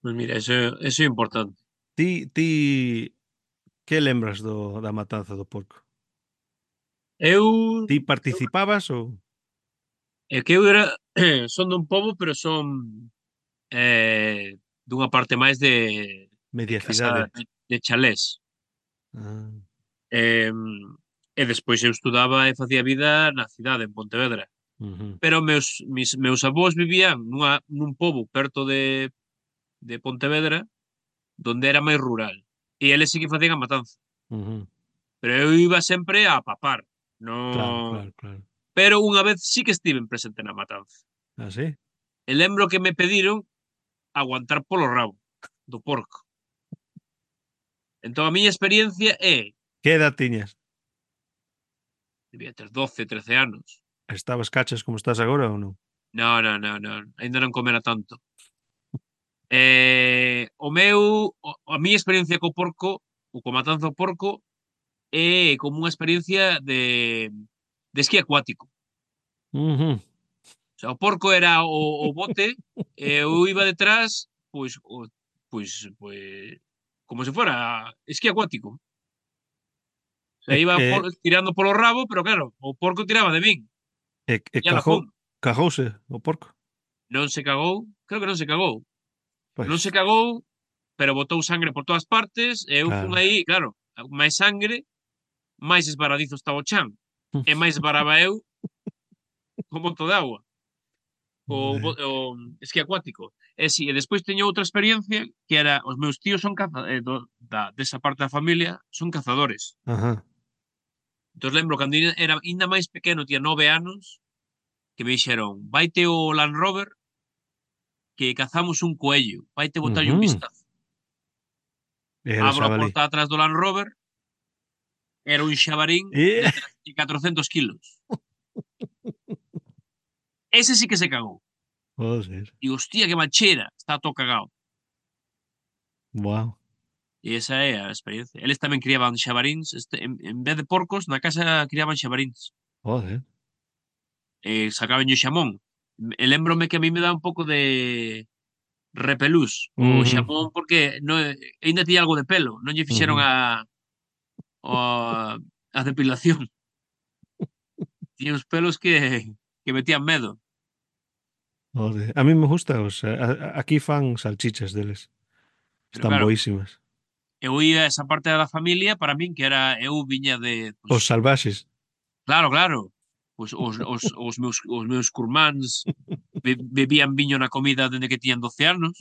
S2: Pois mira, eso, eso é importante.
S1: Ti, ti, que lembras do, da matanza do porco?
S2: Eu,
S1: Ti participabas ou
S2: é que eu era, son dun pobo, pero son eh, dunha parte máis de, de
S1: media
S2: casa
S1: cidade?
S2: de, de chalés.
S1: Ah,
S2: Eh, e despois eu estudaba e facía vida na cidade, en Pontevedra.
S1: ujú,
S2: Pero meus, mis, meus avós vivían nunha, nun pobo perto de, de Pontevedra, donde era máis rural. E eles sí que facían a matanza.
S1: ujú.
S2: Pero eu iba sempre a papar. No...
S1: Claro, claro, claro.
S2: Pero unha vez sí que estiven presente na matanza.
S1: Ah, sí?
S2: E lembro que me pediron aguantar polo rabo do porco. Entón a miña experiencia é,
S1: Que edad tiñas?
S2: debía ter doce, trece anos.
S1: Estabas cachas como estás agora ou non?
S2: No, no, no, no. Ainda non comera tanto. Eh, o meu, o, a miña experiencia co porco, ou co matanza ao porco, é como unha experiencia de, de esquí acuático.
S1: Ujú.
S2: O sea, o porco era o, o bote, e eu iba detrás, pois, o, pois, pois, como se fora esquí acuático. O sea,
S1: E,
S2: iba por,
S1: e,
S2: tirando polo rabo, pero claro, o porco tiraba de min.
S1: e, e
S2: E ala
S1: cajou,
S2: fun.
S1: cajouse o porco.
S2: Non se cagou, creo que non se cagou. Non se
S1: Pois,
S2: cagou, pero botou sangre por todas partes, e eu fun
S1: claro.
S2: aí, claro, máis sangre, máis esbaradizo estaba o chan. E máis esbaraba eu co monto de agua, o,
S1: Joder.
S2: bo- o esquí acuático. E si, e despois teño outra experiencia que era, os meus tíos son caza, eh, do, da, desa parte da familia, son cazadores.
S1: Ajá.
S2: Entón lembro cando ina- era ainda máis pequeno, tía nove anos, que me dixeron, vaite o Land Rover que cazamos un coello, vaite botarlle un
S1: Ujú.
S2: vistazo.
S1: Era
S2: Abro a
S1: xabalí.
S2: porta atrás do Land Rover, era un xabarín
S1: E...
S2: de tres- de catrocentos kilos. Ese sí que se cagou.
S1: Joder.
S2: E hostia, que manchera, está todo cagado.
S1: Wow.
S2: E esa é a experiencia. Eles tamén criaban xabaríns, este, en, en vez de porcos, na casa criaban xabaríns.
S1: Joder.
S2: E sacaban o xamón. E lembrome que a mí me dá un pouco de repelús o
S1: Ujú.
S2: xamón porque no, ainda tiña algo de pelo. Non lle fixeron
S1: Ujú.
S2: a, a, a depilación. Tiña uns pelos que, que metían medo.
S1: Joder. A mí me gusta, o sea, a- a- aquí fan salchichas deles.
S2: Pero
S1: Están
S2: claro,
S1: boísimas.
S2: eu ia a esa parte da familia para min que era eu viña de, pues,
S1: Os salvaxes.
S2: claro, claro. Pois os, os, os meus os meus curmáns be, bebían viño na comida dende que tiñan doce anos.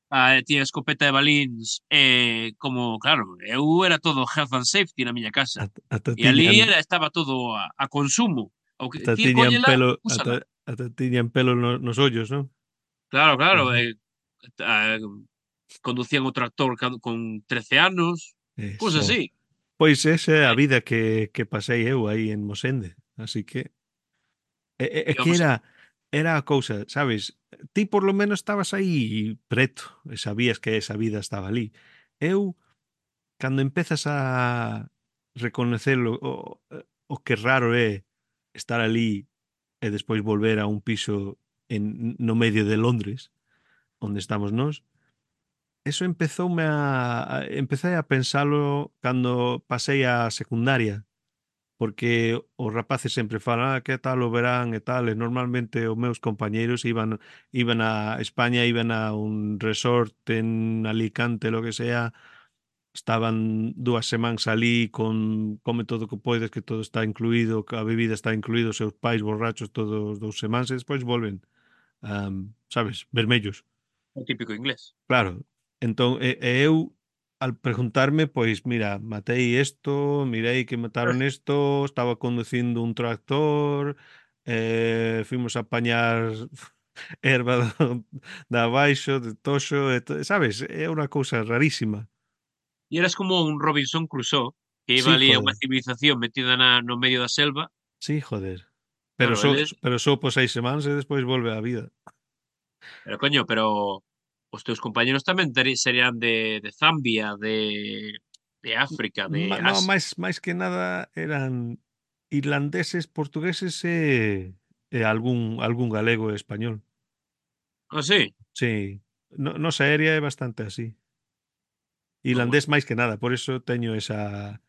S2: Ah, tiña escopeta de balíns e como, claro, eu era todo health and safety na miña casa.
S1: Ata, ata
S2: E ali
S1: tiñan,
S2: era, estaba todo a, a consumo. O que
S1: ata
S2: ti
S1: tiñan
S2: cóñela,
S1: pelo, ata,
S2: úsala.
S1: ata tiñan pelo no, nos ollos, non?
S2: Claro, claro.
S1: Ujú.
S2: Eh, ah, conducían o tractor ca- con trece anos, cousas
S1: Eso.
S2: así.
S1: Pois esa é a
S2: Eh,
S1: vida que, que pasei eu aí en Mosende. Así que é, é, é que
S2: íbamos,
S1: era era a cousa, sabes? Ti por lo menos estabas aí preto e sabías que esa vida estaba ali. Eu, cando empezas a reconocerlo o, o que raro é estar ali e despois volver a un piso en, no medio de Londres, onde estamos nós, eso empezoume a, a empecé a pensalo cando pasei a secundaria, porque os rapaces sempre falan, ah, que tal o verán e tal, e normalmente os meus compañeiros iban iban a España, iban a un resort en Alicante, lo que sea, estaban dúas semanas alí con come todo o que podes, que todo está incluído, que a bebida está incluído, os seus pais borrachos todos dous semanas e despois volven, am, sabes, vermellos.
S2: o típico inglés.
S1: Claro, entón, e, e eu, al preguntarme, pois, mira, matei isto, mirei que mataron isto, estaba conducindo un tractor, eh, fuimos a apañar erva do, da abaixo, de toxo, e to, sabes? É unha cousa rarísima.
S2: E eras como un Robinson Crusoe, que iba
S1: Sí,
S2: ali a unha
S1: joder,
S2: civilización metida na, no medio da selva.
S1: sí, joder. Pero
S2: Claro,
S1: só,
S2: eles,
S1: pero só por seis semanas e despois volve á vida.
S2: pero coño, pero os teus compañeros tamén teri- serían de, de Zambia, de, de África, de
S1: Ma, no,
S2: Asia.
S1: máis, máis que nada eran irlandeses, portugueses e, e algún, algún galego e español.
S2: Ah, sí.
S1: Sí, no, nosa área é bastante así.
S2: Ah,
S1: Irlandés
S2: bueno,
S1: máis que nada, por eso teño esa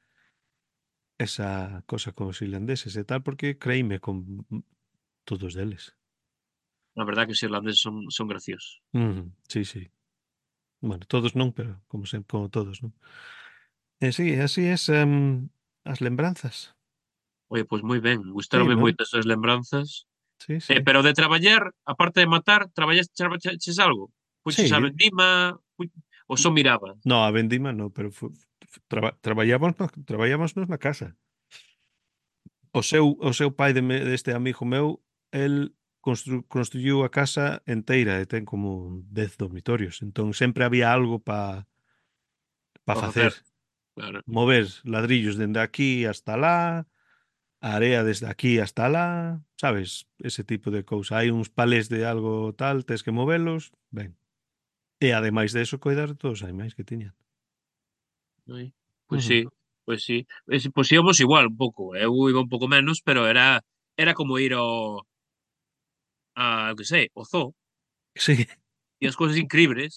S1: esa cosa con os irlandeses e tal, porque creíme con todos deles.
S2: la verdad que os irlandeses son, son graciosos.
S1: Mm, sí, sí. Bueno, todos non, pero como sempre, como todos, non? E sí, así es em, as lembranzas.
S2: Oye, pois moi ben,
S1: Sí,
S2: gustaronme
S1: non?
S2: moito as súas lembranzas.
S1: Sí,
S2: Eh,
S1: sí.
S2: pero de traballar, aparte de matar, traballaste, traballaches algo? Puches a
S1: Sí,
S2: vendima, pu... ou só mirabas?
S1: no, a vendima no, pero fu, fu- traba, traballábamos, traballábamos na casa. O seu, o seu pai de me, deste amigo meu, el constru, construiu a casa enteira e ten como dez dormitorios. Entón sempre había algo para pa
S2: Para
S1: facer.
S2: facer, claro.
S1: Mover ladrillos dende aquí hasta lá, a area desde aquí hasta lá, sabes? Ese tipo de cousa. Hai uns palés de algo tal, tes que movelos, ben. E ademais de eso, coidar de todos os animais que tiñan.
S2: Ai, pois
S1: Ujú.
S2: sí, pois sí. Es pois íamos igual un pouco, eu iba un pouco menos, pero era era como ir ao a eu que sei, ao zoo,
S1: Sí,
S2: e as cousas incribles,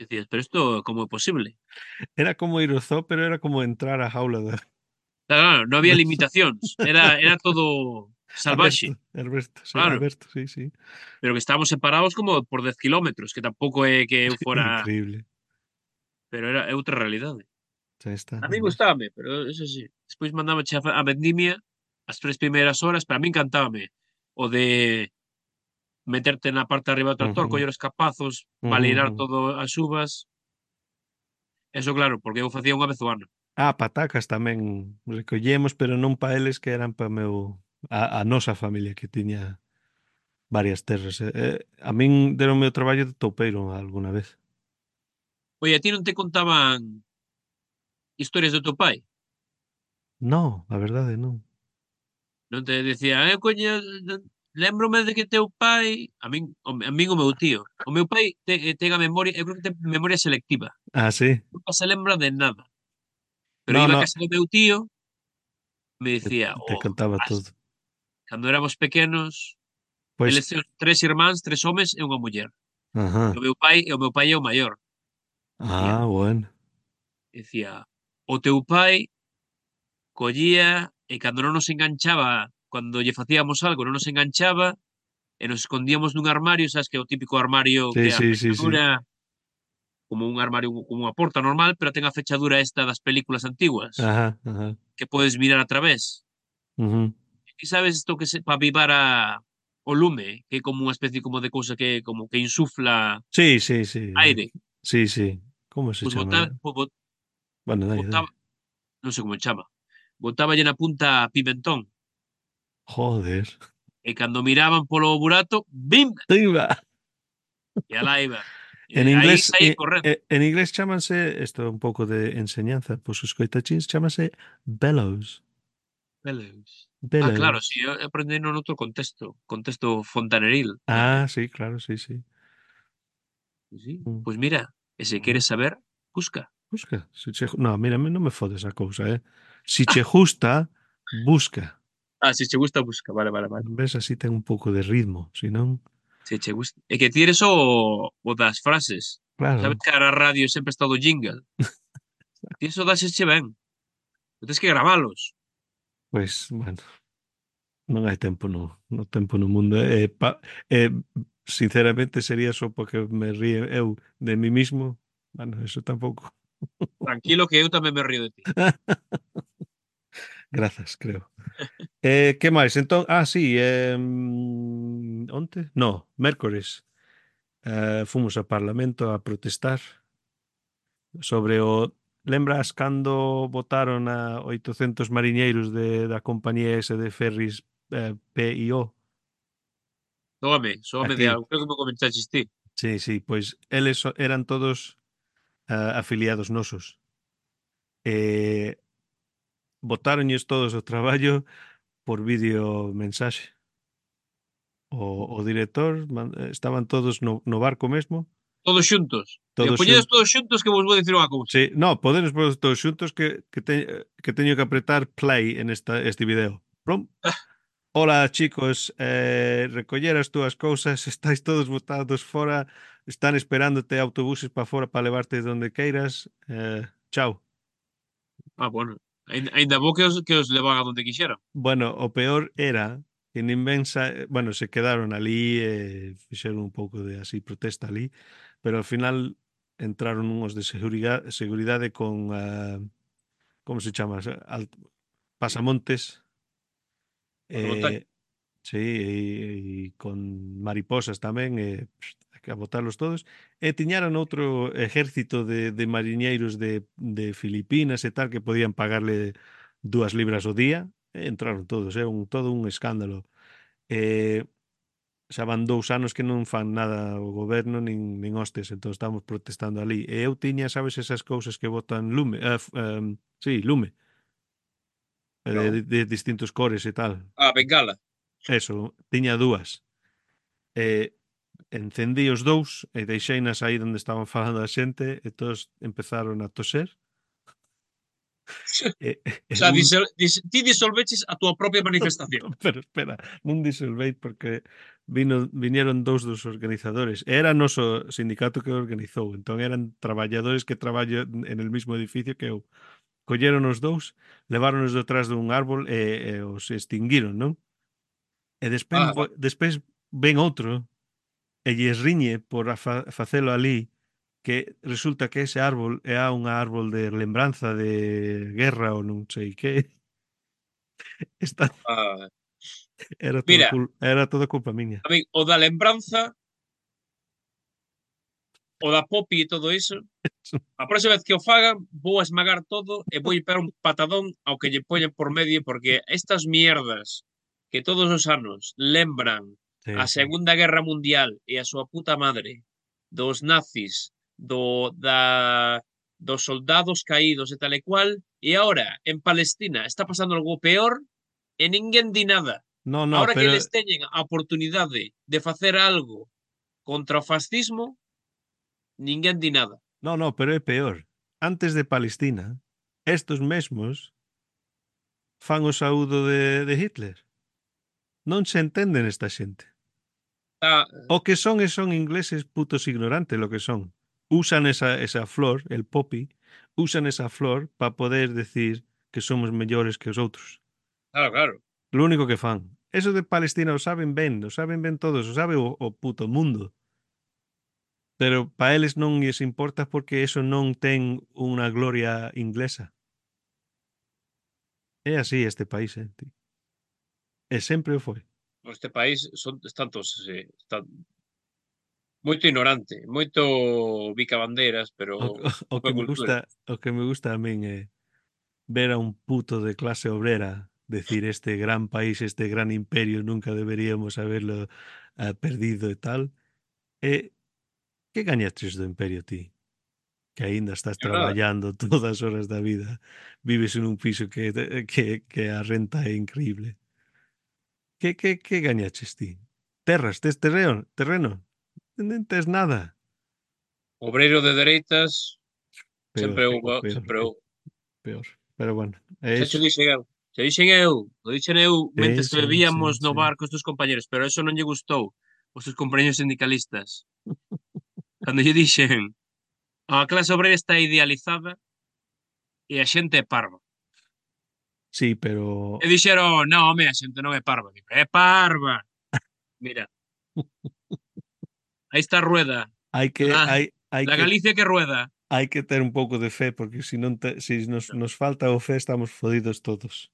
S2: e dicías: "Pero isto como é posible?".
S1: era como ir ao zoo, pero era como entrar á jaula da
S2: Claro, claro, non había
S1: da
S2: limitacións, era era todo salvaxe,
S1: aberto, aberto, sí,
S2: claro,
S1: aberto, sí, sí.
S2: pero que estábamos separados como por dez kilómetros, que tampouco é que eu fora
S1: Increíble.
S2: pero era é outra realidade.
S1: Xa está,
S2: A min
S1: ademais.
S2: gustábame, pero eso sí, despois mandábache a fa a vendimia, as tres primeiras horas, para min encantábame o de meterte na parte de arriba do tractor,
S1: Ujú,
S2: coller os capazos,
S1: ujú,
S2: balirar
S1: ujú.
S2: todo as uvas. Eso claro, porque eu facía unha vez ao ano.
S1: Ah, patacas tamén recollemos, pero non pa eles que eran pa meu a a nosa familia que tiña varias terras. Eh, eh, a min deronme o traballo de toupeiro algunha vez.
S2: Oye, a ti non te contaban historias do teu pai?
S1: No, a verdade non.
S2: Non te decían: "Eu coño lémbrome de que teu pai", a min o a min o meu tío. O meu pai te ten a memoria, eu creo que ten memoria selectiva.
S1: Ah, sí.
S2: Nunca se lembra de nada. Pero
S1: No,
S2: iba a
S1: no,
S2: casa do meu tío, me
S1: te
S2: dicía:
S1: te
S2: "Oh,
S1: contaba
S2: as
S1: todo.
S2: cando éramos pequenos,
S1: Pois
S2: eles teñen tres irmáns, tres homes e unha muller. E
S1: ajá.
S2: o meu pai e o meu pai é o maior". Dicía
S1: Ah, bueno.
S2: dicía: "O teu pai collía e cando non nos enganchaba, cando lle facíamos algo non nos enganchaba, e nos escondíamos nun armario", sabes que é o típico armario que
S1: Sí,
S2: a
S1: sí, sí, sí.
S2: fechadura como un armario, como unha porta normal, pero ten a fechadura esta das películas antiguas,
S1: Ajá, ajá.
S2: que podes mirar a través.
S1: Ujú.
S2: E sabes isto que se pa avivar a o lume, que é como unha especie como de cousa que como que insufla
S1: Sí, sí, sí, eh,
S2: aire,
S1: sí, sí. ¿Cómo se
S2: pois bota
S1: llama?
S2: bo bo
S1: Bueno, dai,
S2: botaba
S1: dai.
S2: non sei como se chama, botáballe na punta pimentón,
S1: Joder.
S2: e cando miraban polo burato, bim,
S1: Viva.
S2: e alá iba.
S1: En
S2: E aí
S1: inglés,
S2: saía
S1: eh,
S2: correndo.
S1: eh, en inglés chámanse, isto é un pouco de enseñanza, pois os coitachíns chámase bellows.
S2: Belus. Ah, claro, si,
S1: Bellows.
S2: eu aprendino noutro contexto, contexto fontaneril,
S1: Ah,
S2: realmente.
S1: sí, claro, sí, sí.
S2: Pois sí,
S1: Mm,
S2: pois mira, e se
S1: mm.
S2: queres saber, busca.
S1: Busca. Si che... No, mira, a mí non me fodes a cousa, eh. Si che gusta, busca.
S2: Ah, se che gusta, busca, vale, vale, vale.
S1: Ves, así ten un pouco de ritmo, si non,
S2: Se che gusta. É que ti eres o o das frases. Sabes
S1: claro,
S2: que ahora a radio sempre está o do jingle? Ti eso dásesche ben, pero tes que gravalos.
S1: pois, bueno, non hai tempo no, no tempo no mundo. E, pa, e sinceramente sería só porque me ríe eu de mí mismo. Bueno, eso tampouco.
S2: Tranquilo que eu tamén me río de ti.
S1: Grazas, creo. Eh, que máis? Entón, ah, sí, eh, onte? No, mércores. Eh, fomos ao Parlamento a protestar sobre o... Lembras cando votaron a oitocentos mariñeiros de, da compañía ese de ferries eh, P I O
S2: Sóame, sóame de
S1: aquí?
S2: algo. Creo que me comentaches ti.
S1: Sí, sí, pois eles so- eran todos ah, afiliados nosos. E botáronlles todos o traballo por vídeo mensaxe. O, o director, man- estaban todos no, no barco mesmo,
S2: Todos xuntos. Digo,
S1: todos
S2: poñedes
S1: xuntos.
S2: todos xuntos que vos vou dicir unha cousa.
S1: Sí, no, poderes vos todos xuntos que, que, te, que teño que apretar play en esta, este video. Plum. Hola, chicos, eh, recoller as túas cousas, estáis todos botados fora, están esperándote autobuses para fora para levarte donde queiras. Eh, chao.
S2: Ah, bueno. Aínda aínda bo que os que os levan a donde quixeran.
S1: Bueno, o peor era que nin ben sa... bueno, se quedaron ali e fixeron un pouco de así protesta ali, pero ao final entraron uns de seguridade, seguridade con uh, como se chama? Alt... pasamontes
S2: Fotovoltaico.
S1: eh, sí, e, e con mariposas tamén e pst, a botalos todos e tiñaron outro exército de, de mariñeiros de, de Filipinas e tal que podían pagarle dúas libras ao día e entraron todos, é un todo un escándalo. E xa van dous anos que non fan nada o goberno nin, nin hostes, entón estamos protestando ali. E eu tiña, sabes, esas cousas que botan lume, uh, um, sí, lume, de,
S2: No.
S1: de distintos cores e tal.
S2: Ah, Bengala.
S1: Eso, tiña dúas. E encendí os dous e deixeinas aí onde estaban falando a xente e todos empezaron a toser. E,
S2: O
S1: e
S2: sea,
S1: un,
S2: disol, dis, ti disolveches a túa propia manifestación.
S1: pero espera, non disolvei porque vino, vinieron dous dos organizadores. Era noso sindicato que organizou, entón eran traballadores que traballan en el mismo edificio que eu. Colleron os dous, leváronos detrás dun árbol e, e os extinguiron, non? E despois,
S2: Ah, vale.
S1: despois ven outro e lles riñe por a fa, facelo ali que resulta que ese árbol é un árbol de lembranza de guerra ou non sei que. Esta
S2: Ah,
S1: era todo
S2: mira,
S1: cul, era toda culpa miña.
S2: a mí, o da lembranza, o da popi e todo iso, a próxima vez que o fagan, vou a esmagar todo e vou ir pegar un patadón ao que lle poñen por medio, porque estas mierdas que todos os anos lembran a
S1: Sí, sí.
S2: Segunda Guerra Mundial e a súa puta madre dos nazis, do, da, dos soldados caídos e tal e cual, e ahora en Palestina está pasando algo peor e ninguén di nada.
S1: No, no,
S2: Ahora que
S1: pero
S2: eles teñen a oportunidade de facer algo contra o fascismo, ninguén di nada.
S1: no, no, pero é peor. Antes de Palestina, estos mesmos fan o saúdo de, de Hitler. Non se entenden esta xente.
S2: Está,
S1: O que son e son ingleses putos ignorantes lo que son. Usan esa, esa flor, el poppy, usan esa flor para poder decir que somos mellores que os outros.
S2: claro, claro.
S1: Lo único que fan. Eso de Palestina o saben ben, o saben ben todos, o sabe o, o puto mundo. Pero para eles non lles importa porque eso non ten unha gloria inglesa. É así este país, eh, tío. E sempre o foi.
S2: Este país son están todos, sí, están moito ignorante, moito bicabandeiras, pero
S1: O, o, o
S2: pouca
S1: que me
S2: cultura.
S1: gusta, o que me gusta a min é ver a un puto de clase obrera decir este gran país, este gran imperio, nunca deberíamos haberlo ah, perdido e tal. E que gañaches do imperio ti? Que aínda estás
S2: É nada.
S1: traballando todas as horas da vida, vives en un piso que, que, que a renta é increíble. Que, que, que gañaches ti? Terras, tes terreno? Terreno? Non tes nada.
S2: Obreiro de dereitas,
S1: Peor,
S2: sempre eu,
S1: o peor,
S2: sempre eu.
S1: é peor. Pero bueno, é
S2: Xa cho
S1: iso.
S2: dixen eu, xa dixen eu, o dixen eu
S1: Sí,
S2: mentres que
S1: sí,
S2: bebíamos
S1: sí,
S2: no
S1: sí.
S2: bar cos teus compañeros, pero eso non lle gustou os teus compañeros sindicalistas. Cando lle dixen a clase obreira está idealizada e a xente é parva.
S1: Sí,
S2: E
S1: pero
S2: dixeron, non, home, a xente non é parva. Digo, é parva. Mira, aí está a rueda.
S1: hai que
S2: La,
S1: hai hai
S2: la
S1: que
S2: Galicia que rueda.
S1: hai que ter un pouco de fe porque se non te, se nos, nos falta o fe estamos fodidos todos.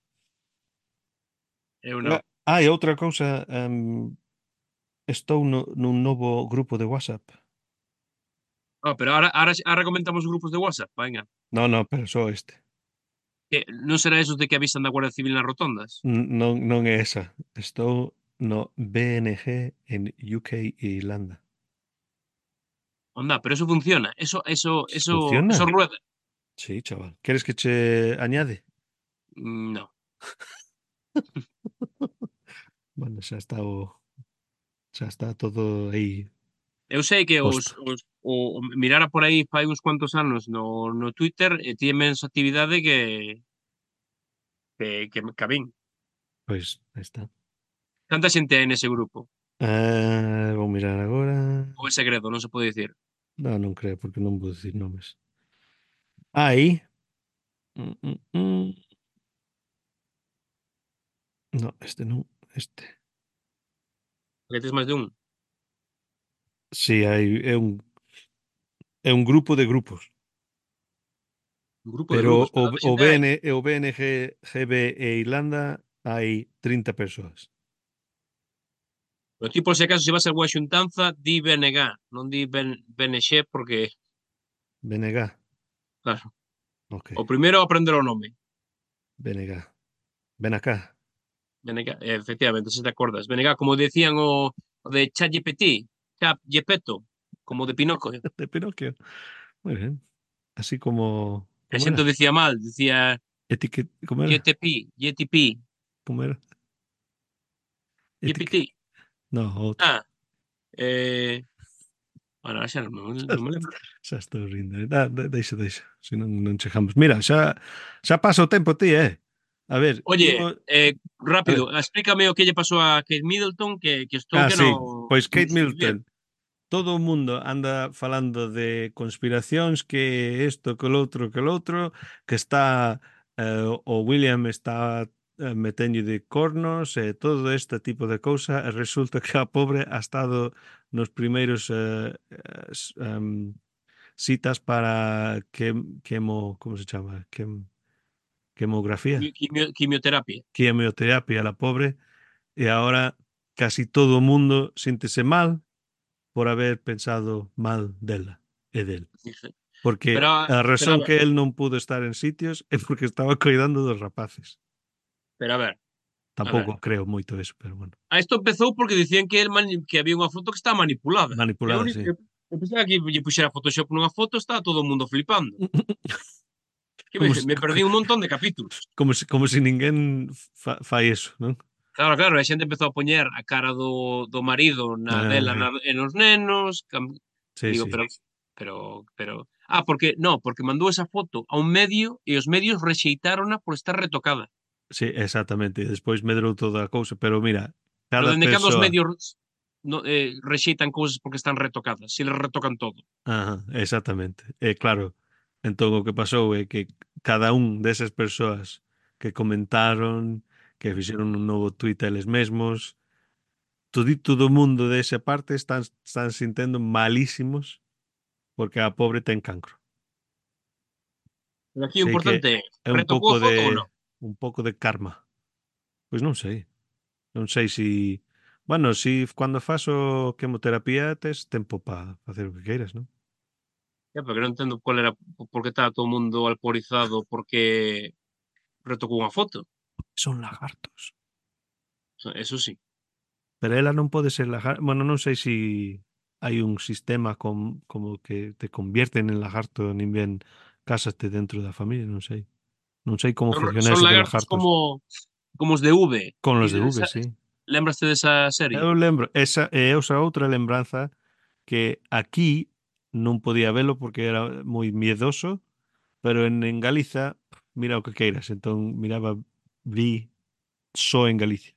S2: Eu
S1: Ah,
S2: non.
S1: ah, e outra cousa, um, estou no, nun novo grupo de WhatsApp.
S2: Oh, pero ahora, ahora, ahora comentamos grupos de WhatsApp, venga.
S1: No, no, pero só este.
S2: Que non será esos de que avisan da Guardia Civil nas rotondas?
S1: N- Non, non é esa. Estou no B N G en U K e Irlanda.
S2: Onda, pero eso funciona. Eso, eso, eso, eso
S1: Funciona?
S2: rueda.
S1: Sí, chaval. Queres que che añade?
S2: Mm, no.
S1: Bueno, xa está o, xa está todo aí
S2: Eu sei que os,
S1: posto.
S2: os o, o mirara por aí fai uns cuantos anos no, no Twitter e tiene menos actividade que que, que, que a min.
S1: Pois, aí está.
S2: Canta xente hai nese grupo?
S1: Ah, vou mirar agora.
S2: Ou é segredo, non se pode dicir.
S1: Non, non creo, porque non vou dicir nomes. Aí. Mm, mm, mm. No, este non. Este.
S2: Porque tes máis de un.
S1: Sí, hai, é un, é un grupo de grupos.
S2: Un grupo de
S1: Pero
S2: grupos.
S1: o,
S2: Canta
S1: o
S2: xente hai.
S1: BN, e o B N G, G B e Irlanda hai trinta persoas.
S2: Pero ti, por se acaso, se vas a boa xuntanza, di B N G, non di ben, B N X, porque,
S1: B N G.
S2: claro,
S1: Ok.
S2: o primeiro aprender o nome.
S1: B N G. Ven acá.
S2: B N G, efectivamente, se te acordas. B N G, como decían o, o de ChatGPT, Chat Gepetto, como de Pinocchio.
S1: De Pinocchio. Muy bien. Así como.
S2: A
S1: ¿Cómo
S2: xente o
S1: era?
S2: decía mal, decía.
S1: Etiquet, como era?
S2: G T P, G T P,
S1: Como era? Etiquet.
S2: G P T.
S1: No, outro.
S2: Ah, eh, bueno, xa non, me- non me lembro.
S1: Xa estou rindo. Da, da, deixa, deixa. Se non, non chegamos. Mira, xa, xa pasa o tempo ti, eh? A ver,
S2: Oye,
S1: imos...
S2: eh,
S1: A ver.
S2: rápido, explícame o que lle pasou a Kate Middleton, que, que estou
S1: Ah,
S2: que no,
S1: sí. Pois
S2: non
S1: Kate
S2: sei muy bien.
S1: Middleton. Todo o mundo anda falando de conspiracións, que isto, que o outro, que o outro, que está eh, o William está eh, meteño de cornos e todo este tipo de cousa e resulta que a pobre ha estado nos primeiros eh, eh, s- em, citas para quem, quemo, como se chama? Quem, quemografía,
S2: Quimio- quimio- quimioterapia.
S1: quimioterapia, la pobre, e ahora casi todo o mundo síntese mal por haber pensado mal dela e del.
S2: Dije. Pero,
S1: Porque
S2: a-
S1: a
S2: pero, a
S1: razón
S2: ver,
S1: que él non pudo estar en sitios é porque estaba cuidando dos rapaces.
S2: pero a ver, a ver.
S1: Tampouco creo moito eso, pero bueno.
S2: A isto empezou porque dicían que, el mani- que había unha foto que estaba manipulada. Eu,
S1: Manipulada,
S2: ni-
S1: sí.
S2: eu, eu pensaba que lle puxera Photoshop nunha foto, estaba todo o mundo flipando. Que me,
S1: Como se,
S2: me perdí un montón de capítulos.
S1: como se, como se ninguén fa, fai eso, non?
S2: Claro, claro, a xente empezou a poñer a cara do, do marido na dela
S1: Ah,
S2: na, e nos nenos. cam- E
S1: sí,
S2: digo,
S1: sí.
S2: pero, pero, pero... Ah, porque, no, porque mandou esa foto a un medio e os medios rexeitárona por estar retocada.
S1: Sí, exactamente. Despois medrou toda a cousa, pero mira,
S2: Pero
S1: cada
S2: dende cando os
S1: persoa.
S2: medios no, eh, rexeitan cousas porque están retocadas, se les retocan todo.
S1: Ajá, exactamente. E claro, entón o que pasou é que cada un desas persoas que comentaron, que fixeron un novo tuit a eles mesmos, todito do mundo desa parte están, están sintendo malísimos porque a pobre ten cancro.
S2: Pero aquí o
S1: Sei que
S2: importante é,
S1: é un
S2: retocou
S1: pouco
S2: a
S1: de
S2: foto ou non?
S1: un pouco de karma. Pois non sei. Non sei si bueno, si cando faso quimioterapia tes tempo para facer o que queiras, non?
S2: É, porque non entendo cual era, por que estaba todo o mundo alporizado porque retocou unha foto.
S1: Son lagartos.
S2: Eso sí.
S1: Pero ela non pode ser lagarto. Bueno, non sei si hai un sistema com, como que te convierten en lagarto nin ben cásaste dentro da familia, non sei. Non sei como funciona
S2: Son
S1: eso de
S2: lagartos
S1: lagartos.
S2: como como os de V.
S1: Con
S2: Ti
S1: los de V,
S2: sa-
S1: sí.
S2: lembraste desa
S1: Eu
S2: serie?
S1: lembro, esa é esa outra lembranza que aquí non podía velo porque era moi miedoso, pero en, en Galiza, mira o que queiras, entón miraba, vi só en Galicia.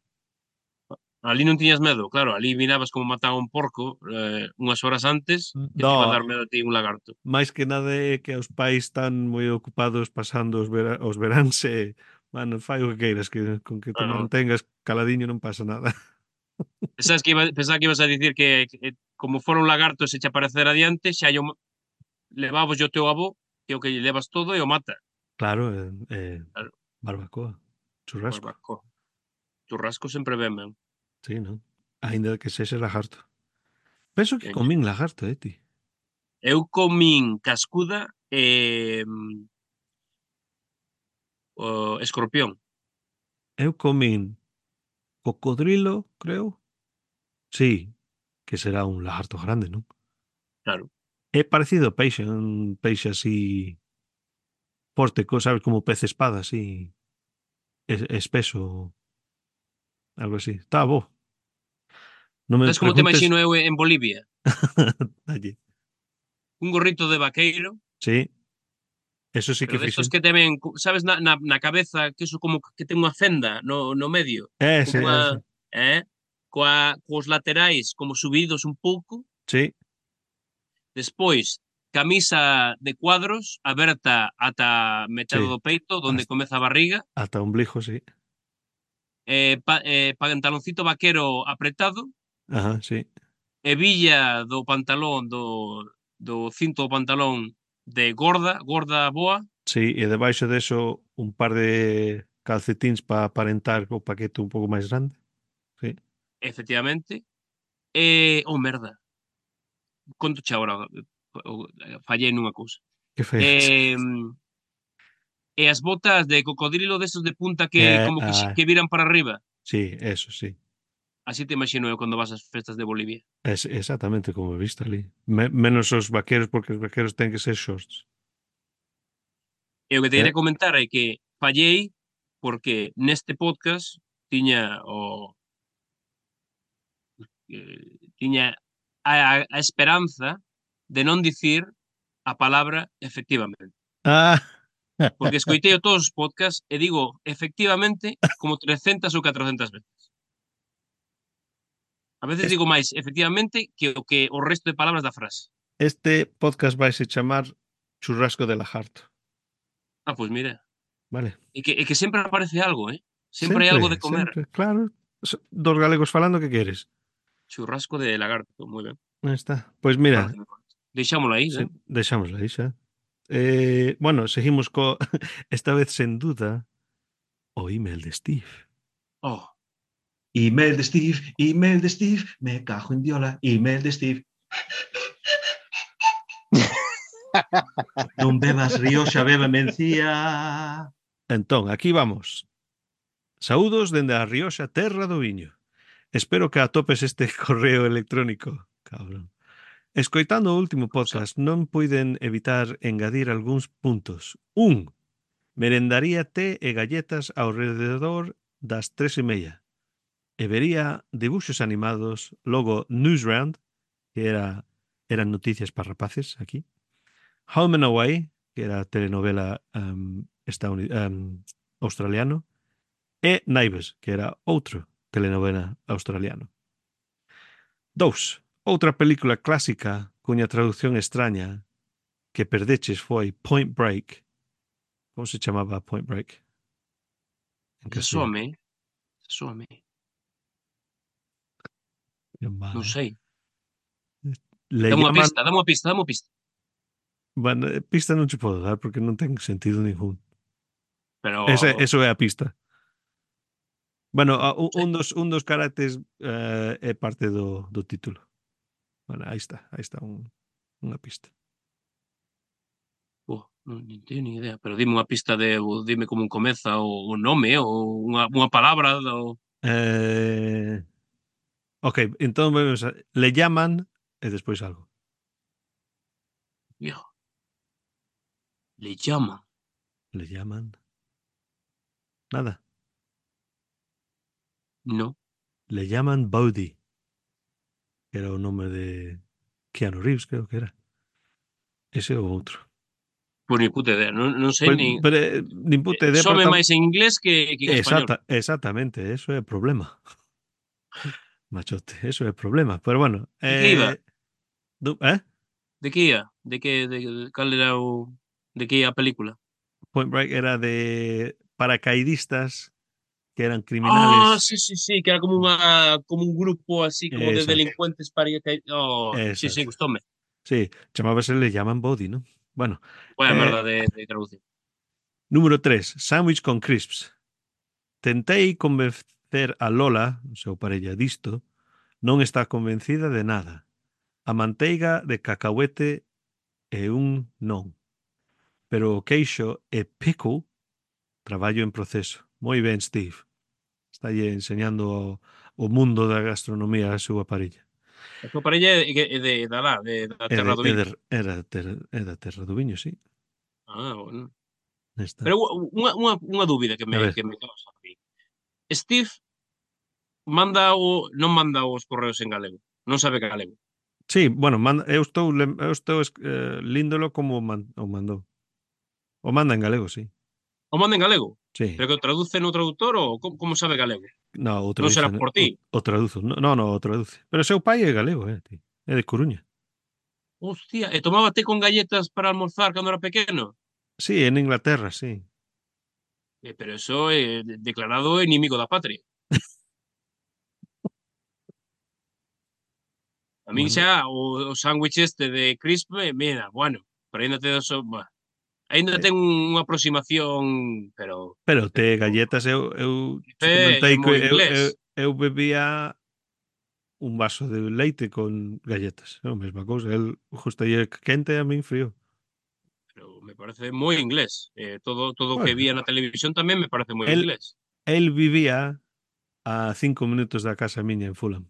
S2: Ali non tiñas medo, claro, ali mirabas como mataba un porco eh, unhas horas antes que te iba a
S1: No,
S2: dar medo a ti un lagarto.
S1: máis que nada é que os pais están moi ocupados pasando os, vera, os veráns e, mano, fai o que queiras, que con que te
S2: Ah, no.
S1: mantengas caladiño non pasa nada.
S2: Pensabas que, iba, pensaba que ibas a dicir que, que como fora un lagarto se che aparecera adiante, xa yo levabos o teu avó, que é o que lle levas todo e o mata.
S1: Claro, eh, eh,
S2: Claro,
S1: barbacoa, churrasco,
S2: barbacoa. Churrasco sempre ben, ben.
S1: sí, non? Ainda que sexa lagarto. Penso que
S2: Ben,
S1: comín lagarto, eh, ti.
S2: eu comín cascuda e o escorpión,
S1: Eu comín cocodrilo, creo. Sí, que será un lagarto grande, non?
S2: claro.
S1: É parecido ao peixe, un peixe así forte, co- sabes, como pez espada, así, es- espeso, algo así. Está bo. Non me
S2: Sabes como te
S1: preguntes.
S2: imagino eu en Bolivia?
S1: Allí.
S2: Un gorrito de vaqueiro,
S1: Sí, eso sí que
S2: pero destos
S1: fixen.
S2: que te ven, cu- sabes, na, na, na cabeza, que eso como que ten unha fenda no, no medio, como
S1: Ese,
S2: unha,
S1: ese.
S2: eh? Coa, cos laterais como subidos un pouco,
S1: Sí,
S2: despois camisa de cuadros aberta ata metade
S1: sí.
S2: do peito, onde
S1: Hasta,
S2: comeza a barriga,
S1: hasta ombligo, sí.
S2: eh, pa, eh, pantaloncito vaquero apretado,
S1: Ajá, sí.
S2: hebilla do pantalón, do, do cinto do pantalón de gorda, gorda boa,
S1: Sí, e debaixo deso un par de calcetíns para aparentar o paquete un pouco máis grande. Sí.
S2: efectivamente, e, oh merda, conto che agora, fallei nunha cousa.
S1: Que feiras.
S2: Eh, e as botas de cocodrilo desos de punta que
S1: Eh,
S2: como que,
S1: ah,
S2: que viran para arriba.
S1: sí, eso sí.
S2: Así te imagino eu cando vas ás festas de Bolivia.
S1: Es exactamente como he visto ali. Me- menos os vaqueros, porque os vaqueros ten que ser shorts.
S2: E o que te
S1: Eh?
S2: quería comentar é que fallei porque neste podcast tiña o eh, tiña a, a esperanza de non dicir a palabra efectivamente.
S1: Ah,
S2: Porque escoitei todos os podcasts e digo efectivamente como trescentas ou catrocentas veces. A veces
S1: es-
S2: digo máis efectivamente que o que o resto de palabras da frase.
S1: este podcast vai se chamar Churrasco de Lajarto.
S2: Ah, pois mira.
S1: Vale.
S2: E que, e que sempre aparece algo, eh? Sempre hai algo
S1: Sempre,
S2: de comer.
S1: sempre, claro. So- Dos galegos falando, que queres?
S2: Churrasco de lagarto, moi ben.
S1: Aí está. Pois mira,
S2: Pareceme correcto. Deixámolo aí,
S1: sí,
S2: ben?
S1: deixámoslo aí xa. Eh, bueno, seguimos co esta vez sen duda o email de Steve.
S2: Oh,
S3: Email de Steve, email de Steve, me cajo en diola, email de Steve. Non bebas Rioxa, beba mencía.
S1: Entón, aquí vamos. Saúdos dende a Rioxa, terra do viño. Espero que atopes este correo electrónico, cabrón. Escoitando o último
S2: sa-
S1: podcast non puiden evitar engadir algúns puntos. Un, merendaría té e galletas ao rededor das tres e media. E vería debuxos animados, logo Newsround, que era eran noticias para rapaces aquí. Home and Away, que era telenovela um, estadouni- um, australiano. E Neighbours, que era outro telenovela australiano. Dous, outra película clásica cuña traducción extraña que perdeches foi Point Break. Como se chamaba Point Break en
S2: esa
S1: castellano?
S2: soame, esa soame.
S1: Ben mal,
S2: Non
S1: eh?
S2: sei.
S1: Le
S2: Dame unha
S1: llaman...
S2: pista, dame unha pista, dame unha pista.
S1: Bueno, eh, pista non che podo dar porque non ten sentido ningún. Ese,
S2: Pero,
S1: eso é a pista. Bueno, a-
S2: non
S1: un
S2: sei.
S1: un dos, un dos caracteres eh, é parte do, do título. Bueno, aí está, aí está un, unha pista.
S2: Oh, non, non teño nin idea. Pero dime unha pista de, ou dime como un comeza o, o nome ou unha, unha palabra do...
S1: Eh, ok, entón vemos a- le llaman e despois algo.
S2: Yo, le llama.
S1: Le llaman nada.
S2: No.
S1: Le llaman Bodhi, que era o nome de Keanu Reeves, creo que era. Ese ou outro.
S2: Pois ni puta idea. Non, non sei
S1: Pues,
S2: nin...
S1: pero, eh, nin puta idea, pero
S2: Some
S1: tam...
S2: máis en inglés que, que en español.
S1: Exacta, exactamente, eso é o problema. Machote, eso é o problema. Pero bueno,
S2: De que iba?
S1: eh, du, eh?
S2: De que ia? De que, de, de, cal era o... De que ia a película?
S1: Point Break era de paracaidistas que eran
S2: Ah,
S1: criminales.
S2: sí, sí, sí, que era como unha como un grupo así como de
S1: Exacto,
S2: delincuentes para ir a... Oh, sí, sí,
S1: exacto.
S2: gustoume.
S1: Sí, chamábase Le llaman Bodhi, ¿no? Bueno,
S2: Buena
S1: eh,
S2: merda de, de traducción.
S1: número tres, sándwich con crisps. Tentei convencer a Lola, o seu parella, disto, non está convencida de nada. A manteiga de cacahuete é un non. Pero o queixo e pickle, traballo en proceso. Moi ben, Steve. Está enseñando o, o mundo da gastronomía a súa parella.
S2: A tua parella é de, é de, da lá, de, da
S1: É, de,
S2: Terra do
S1: é,
S2: Viño.
S1: de, é, da terra, é da terra do viño, sí.
S2: Ah, bueno.
S1: Está.
S2: Pero unha, unha, unha dúbida que
S1: A
S2: me,
S1: ver.
S2: que me causa a mí. Steve manda o, non manda os correos en galego. Non sabe galego.
S1: Sí, bueno, manda, eu estou, lem- eu estou eh, líndolo como o, man, o mandou. O manda en galego, sí.
S2: O manda en galego.
S1: Sí.
S2: Pero que o traduce no traductor ou como, como sabe galego?
S1: No, o
S2: Non
S1: traduce,
S2: será por
S1: o,
S2: ti.
S1: o traduzo. No, no, no, o traduce. Pero seu pai é galego, eh, ti. É de Coruña.
S2: Hostia, e tomaba té con galletas para almorzar cando era pequeno?
S1: Sí, en Inglaterra, sí.
S2: Eh, pero eso é declarado enemigo da patria. A min
S1: Bueno,
S2: xa o, o sándwich este de crisp, eh, mira, bueno, pero aínda te so, bah, aínda
S1: eh,
S2: ten unha aproximación, pero
S1: pero te
S2: pero
S1: galletas eu, eu che
S2: é,
S1: comentei
S2: é
S1: que
S2: moi
S1: eu,
S2: inglés.
S1: eu, eu bebía un vaso de leite con galletas. É a mesma cousa. El gustalle quente e a min frío.
S2: Pero me parece moi inglés. Eh, todo todo o que
S1: Bueno,
S2: vía na televisión tamén me parece moi
S1: el,
S2: inglés.
S1: el vivía a cinco minutos da casa miña en Fulham.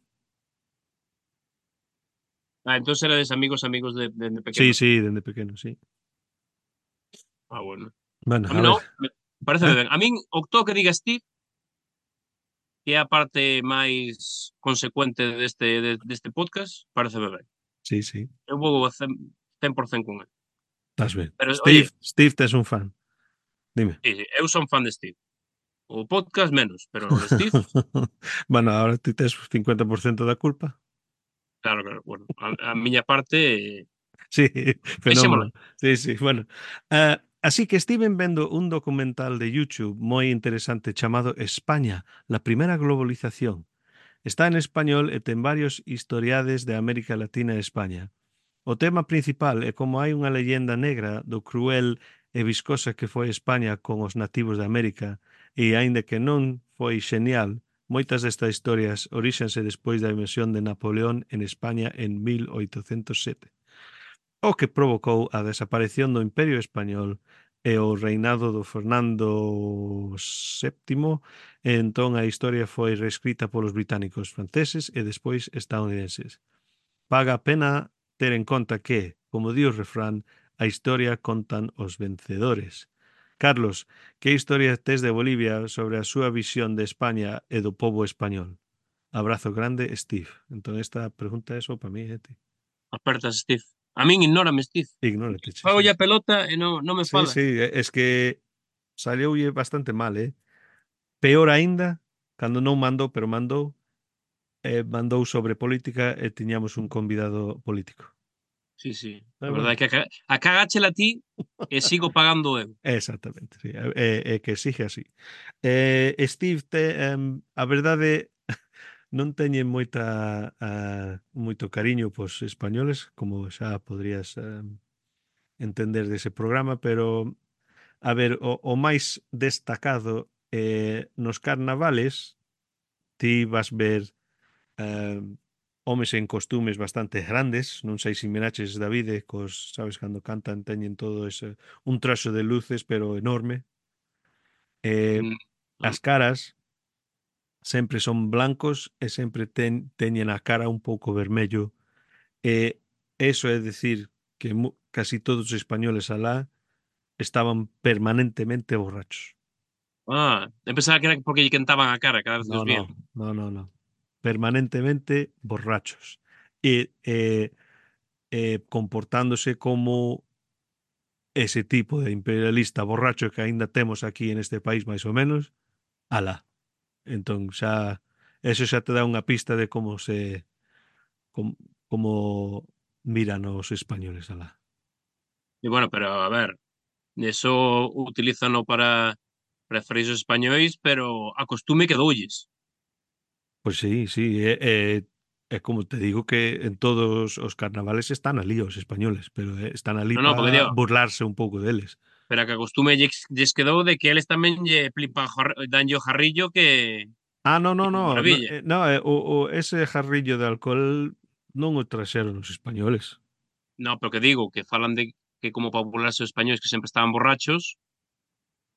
S2: Ah, entón erades amigos amigos de, de, de
S1: Sí,
S2: pequenos.
S1: sí, dende pequeno, sí.
S2: Ah, bueno.
S1: Bueno,
S2: A
S1: a
S2: mí
S1: ver,
S2: non, me, parece
S1: Eh?
S2: ben. A min, o todo que diga Steve, que é a parte máis consecuente deste, de, deste podcast, parece ben.
S1: Sí, sí,
S2: Eu vou a cen, cen por cento con ele.
S1: estás ben.
S2: Pero,
S1: Steve,
S2: oye,
S1: Steve, tes un fan. Dime.
S2: sí, sí, eu son fan de Steve. O podcast menos, pero o Steve,
S1: Bueno, ahora ti tes cincuenta por ciento da culpa.
S2: claro, claro, bueno, a, a miña parte, eh,
S1: Sí,
S2: deixémola.
S1: fenómeno. Sí, sí, bueno. Ah, así que estiven vendo un documental de YouTube moi interesante chamado España, la primera globalización. Está en español e ten varios historiades de América Latina e España. O tema principal é como hai unha leyenda negra do cruel e viscosa que foi España con os nativos de América e, aínda que non foi xenial, moitas destas historias oríxense despois da invasión de Napoleón en España en mil oitocentos sete, o que provocou a desaparición do Imperio Español e o reinado do Fernando séptimo, e entón a historia foi reescrita polos británicos, franceses e despois estadounidenses. Paga a pena ter en conta que, como di o refrán, a historia contan os vencedores. Carlos, que historia tes de Bolivia sobre a súa visión de España e do pobo español? Abrazo grande, Steve. Entón esta pregunta é só para mí, eh, ti.
S2: Apertas Steve. A min ignórame Steve.
S1: Ignórate, che,
S2: Fago
S1: sí.
S2: a pelota e non, non me
S1: Sí,
S2: fala.
S1: sí, é- es que salioulle bastante mal, eh? Peor aínda, cando non mandou, pero mandou, eh, mandou sobre política e tiñamos un convidado político.
S2: Sí, sí. A
S1: Pero
S2: verdade
S1: bueno,
S2: é que a, ca- a cagáchela ti e sigo pagando eu.
S1: exactamente, sí, é, é que sigue así. Eh, Steve, te, em, a verdade non teñen moita a, moito cariño pos españoles, como xa podrías em, entender dese programa, pero a ver, o, o máis destacado eh, nos carnavales ti vas ver eh, homes en costumes bastante grandes, non sei se miraches Davide, cos, sabes, cando cantan teñen todo ese, un traxo de luces pero enorme. Eh,
S2: Mm,
S1: as
S2: non.
S1: caras sempre son blancos e sempre ten, teñen a cara un pouco vermello, e eso é decir que mu, casi todos os españoles alá estaban permanentemente borrachos.
S2: Ah, eu pensaba que era porque lle quentaban a cara cada vez que
S1: No,
S2: os vían.
S1: no, no, no, no. Permanentemente borrachos. E eh, eh, comportándose como ese tipo de imperialista borracho que aínda temos aquí en este país máis ou menos, alá. Entón xa eso xa te dá unha pista de como se como, como miran os españoles alá.
S2: E bueno, pero a ver, eso utilízano para referirse aos españois, pero a costume quedoulles.
S1: Pois sí, sí, é, é, é como te digo que en todos os carnavales están ali os españoles, pero eh, están ali
S2: Non, non, porque
S1: para
S2: digo,
S1: burlarse un pouco deles.
S2: pero a que a costume lles, lles quedou de que eles tamén lle flipan jar, danlle o jarrillo que,
S1: Ah, no,
S2: que
S1: no,
S2: de
S1: no, no,
S2: maravilla.
S1: eh, no eh, o, o ese jarrillo de alcohol non o traxeron os españoles.
S2: No, pero que digo, que falan de que como para burlarse os españois que sempre estaban borrachos,